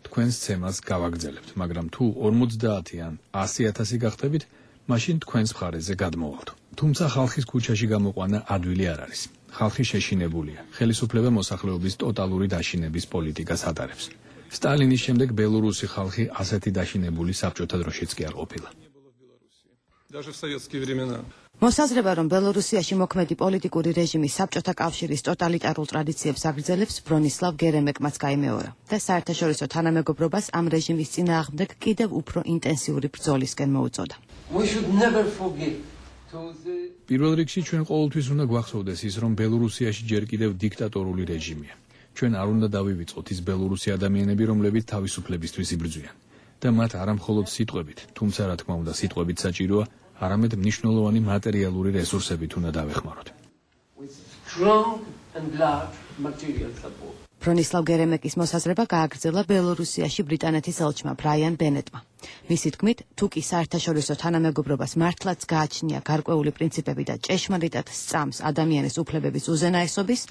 თქვენს ცემას გავაგრძელებთ, მაგრამ თუ 50 ან 100,000 გახდებით, მაშინ თქვენს მხარეზე გადმოვალთ. თუმცა ხალხის ქუჩაში გამოყვანა ადვილი არ არის. ხალხი შეშინებულია. ხელისუფლება მოსახლეობის ტოტალური დაშინების პოლიტიკას ატარებს. სტალინის შემდეგ ბელორუსი ხალხი ასეთი დაშინებული საბჭოთა დროშიც კი არ ყოფილა. Даже в советские времена. მოსაზრება, რომ ბელორუსიაში მოქმედი პოლიტიკური რეჟიმი საბჭოთა კავშირის ტოტალიტარულ ტრადიციებს აგრძელებს, ბრონისლავ გერემეკმაც გაიმეორა და საერთაშორისო თანამეგობრობას ამ რეჟიმის წინააღმდეგ კიდევ უფრო ინტენსიური ბრძოლისკენ მოუწოდა. პირველ რიგში ჩვენ ყოველთვის უნდა გვახსოვდეს ის, რომ ბელორუსიაში ჯერ კიდევ დიქტატორული რეჟიმია. ჩვენ არ უნდა დავივიწყოთ ის ბელორუსი ადამიანები, რომლებიც თავისუფლებისთვის იბრძვიან და მათ არა მხოლოდ სიტყვებით, თუმცა რა თქმა უნდა სიტყვებით საჭიროა, არამედ მნიშვნელოვანი მატერიალური რესურსებით უნდა დავეხმაროთ. ბრონისლავ გერემეკის მოსაზრება გააგრძელა ბელორუსიაში ბრიტანეთის ელჩმა ბრაიან ბენეტმა. მისი თქმით, თუ კი საერთაშორისო თანამეგობრობას მართლაც გააჩნია გარკვეული პრინციპები და ჭეშმარიტად სწამს ადამიანის უფლებების უზენაესობის,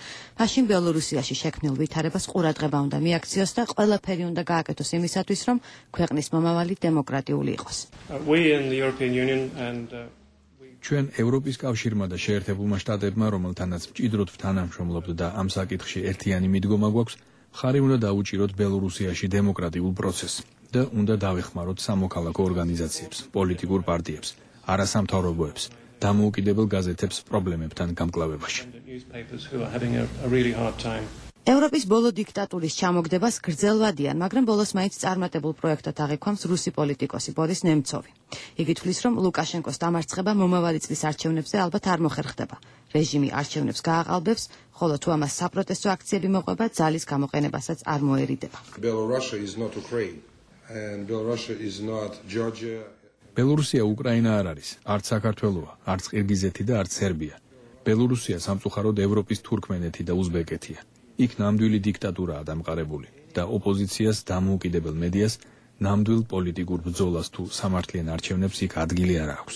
მაშინ ბელორუსიაში შექმნილ ვითარებას ყურადღება უნდა მიაქციოს და ყველაფერი უნდა გააკეთოს იმისათვის, რომ ქვეყნის მომავალი დემოკრატიული იყოს. ჩვენ ევროპის კავშირმა და შეერთებულმა შტატებმა, რომელთანაც მჭიდროდ ვთანამშრომლობთ და ამ საკითხში ერთიანი მიდგომა გვაქვს, მხარი უნდა დაუჭიროთ ბელორუსიაში დემოკრატიულ პროცესს და უნდა დავეხმაროთ სამოქალაქო ორგანიზაციებს, პოლიტიკურ პარტიებს, არასამთავრობოებს, დამოუკიდებელ გაზეთებს პრობლემებთან გამკლავებაში. ევროპის ბოლო დიქტატურის ჩამოგდებას გრძელვადიან, მაგრამ ბოლოს მაინც წარმატებულ პროექტად აღიქვამს რუსი პოლიტიკოსი ბორის ნემცოვი. იგი თვლის, რომ ლუკაშენკოს დამარცხება მომავალი წლის არჩევნებზე ალბათ არ მოხერხდება. რეჟიმი არჩევნებს გააყალბებს, ხოლო თუ ამას საპროტესტო აქციები მოყვება, ძალის გამოყენებასაც არ მოერიდება. ბელორუსია უკრაინა არ არის, არც საქართველოა, არც ყირგიზეთი და არც სერბია. ბელორუსია სამწუხაროდ ევროპის თურქმენეთი და უზბეკეთია. იქ ნამდვილი დიქტატურაა დამყარებული და ოპოზიციას, დამოუკიდებელ მედიას, ნამდვილ პოლიტიკურ ბრძოლას თუ სამართლიან არჩევნებს იქ ადგილი არ აქვს.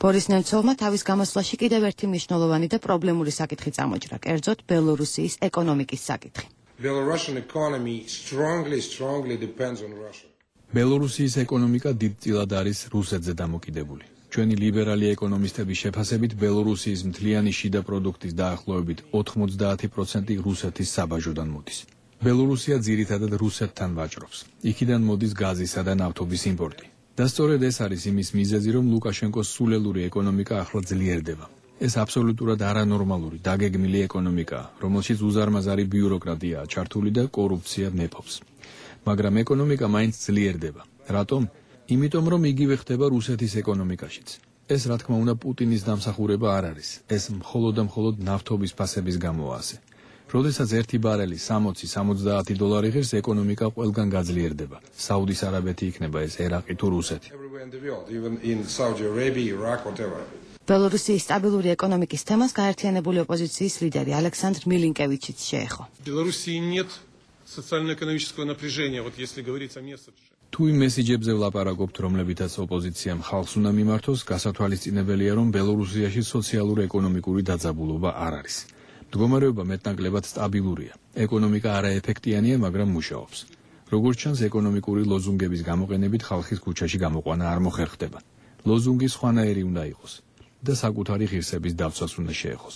ბორის ნემცოვმა თავის გამოსვლაში კიდევ ერთი მნიშვნელოვანი და პრობლემური საკითხი წამოჭრა, კერძოდ ბელორუსიის ეკონომიკის საკითხი. ბელორუსიის ეკონომიკა დიდწილად არის რუსეთზე დამოკიდებული. ჩვენი ლიბერალი ეკონომისტების შეფასებით ბელორუსიის მთლიანი შიდა პროდუქტის დაახლოებით 90% რუსეთის საბაჟოდან მოდის. ბელორუსია ძირითადად რუსეთთან ვაჭრობს. იქიდან მოდის გაზისა და ნავთობის იმპორტი. და სწორედ ეს არის იმის მიზეზი, რომ ლუკაშენკოს სულელური ეკონომიკა ახლა ძლიერდება. ეს აბსოლუტურად არანორმალური, დაგეგმილი ეკონომიკაა, რომელშიც უზარმაზარი ბიუროკრატიაა ჩართული და კორუფცია მეფობს. მაგრამ ეკონომიკა მაინც ძლიერდება. რატომ? იმიტომ რომ იგივე ხდება რუსეთის ეკონომიკაშიც. ეს რა თქმა უნდა პუტინის დამსახურება არ არის. ეს მხოლოდ და მხოლოდ ნავთობის ფასების გამოა ასე. როდესაც ერთი ბარელი 60-70 დოლარი ღირს, ეკონომიკა ყველგან გაძლიერდება. საუდის არაბეთი იქნება ეს ერაყი თუ რუსეთი. ბელორუსიის სტაბილური ეკონომიკის თემას გაერთიანებული ოპოზიციის ლიდერი ალექსანდრ მილინკევიჩიც შეეხო. Белоруссии нет социально-экономического напряжения, вот если говорить о месседже. თუ იმ მესიჯებზე ვლაპარაკობთ, რომლებითაც ოპოზიციამ ხალხს უნდა მიმართოს, გასათვალისწინებელია, რომ ბელორუსიაში სოციალურ-ეკონომიკური დაძაბულობა არ არის. მდგომარეობა მეტნაკლებად სტაბილურია. ეკონომიკა არაეფექტიანია, მაგრამ მუშაობს. როგორც ჩანს, ეკონომიკური ლოზუნგების გამოყენებით ხალხის ქუჩაში გამოყვანა არ მოხერხდება. ლოზუნგი სხვანაირი უნდა იყოს და საკუთარი ღირსების დავცვას უნდა შეეხოს.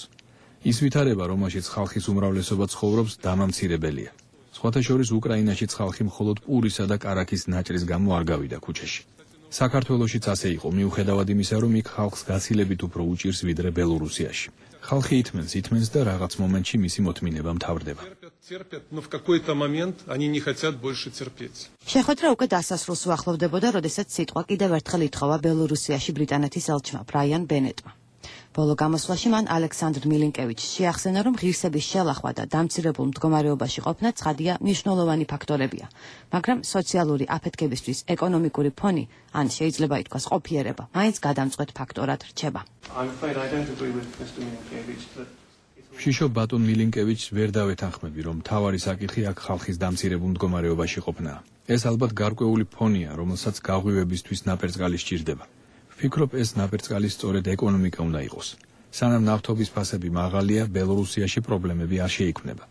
ის ვითარება, რომელშიც ხალხის უმრავლესობა ცხოვრობს, დამამცირებელია. სხვათა შორის უკრაინაშიც ხალხი მხოლოდ პურისა და კარაქის ნაჭრის გამო არ გავიდა ქუჩაში. საქართველოშიც ასე იყო, მიუხედავად იმისა, რომ იქ ხალხს გაცილებით უფრო უჭირს ვიდრე ბელორუსიაში. ხალხი ითმენს და რაღაც მომენტში მისი მოთმინება მთავრდება. შეხვედრა უკვე დასასრულს უახლოვდებოდა, როდესაც სიტყვა კიდევ ერთხელ ითხოვა ბელორუსიაში ბრიტანეთის ელჩმა ბრაიან ბენეტმა. ბოლო გამოსვლაში მან ალექსანდრ მილინკევიჩს შეახსენა, რომ ღირსების შელახვა და დამცირებულ მდგომარეობაში ყოფნა ცხადია მნიშვნელოვანი ფაქტორებია, მაგრამ სოციალური აფეთქებისთვის ეკონომიკური ფონი, ან შეიძლება ითქვას ყოფიერება, მაინც გადამწყვეტ ფაქტორად რჩება. შიშო ბატონ მილინკევიჩს ვერ დავეთანხმები, რომ მთავარი საკითხი აქ ხალხის დამცირებულ მდგომარეობაში ყოფნაა. ეს ალბათ გარკვეული ფონია, რომელსაც გაღვივებისთვის ნაპერწკალი სჭირდება. ვფიქრობ, ეს ნაპერწკალი სწორედ ეკონომიკა უნდა იყოს. სანამ ნავთობის ფასები მაღალია, ბელორუსიაში პრობლემები არ შეიქმნება.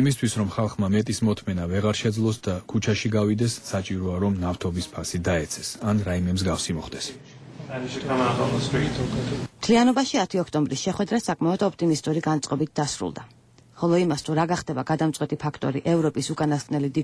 იმისთვის, რომ ხალხმა მეტის მოთმენა ვეღარ შეძლოს და ქუჩაში გავიდეს, საჭიროა, რომ ნავთობის ფასი დაეცეს, ან რაიმე მსგავსი მოხდეს. მთლიანობაში 10 ოქტომბრის შეხვედრა საკმაოდ ოპტიმისტური განწყობით დასრულდა. ხოლო იმას, თუ რა გახდება გადამწყვეტი ფაქტორი ევროპის უკანასკნელი დიდ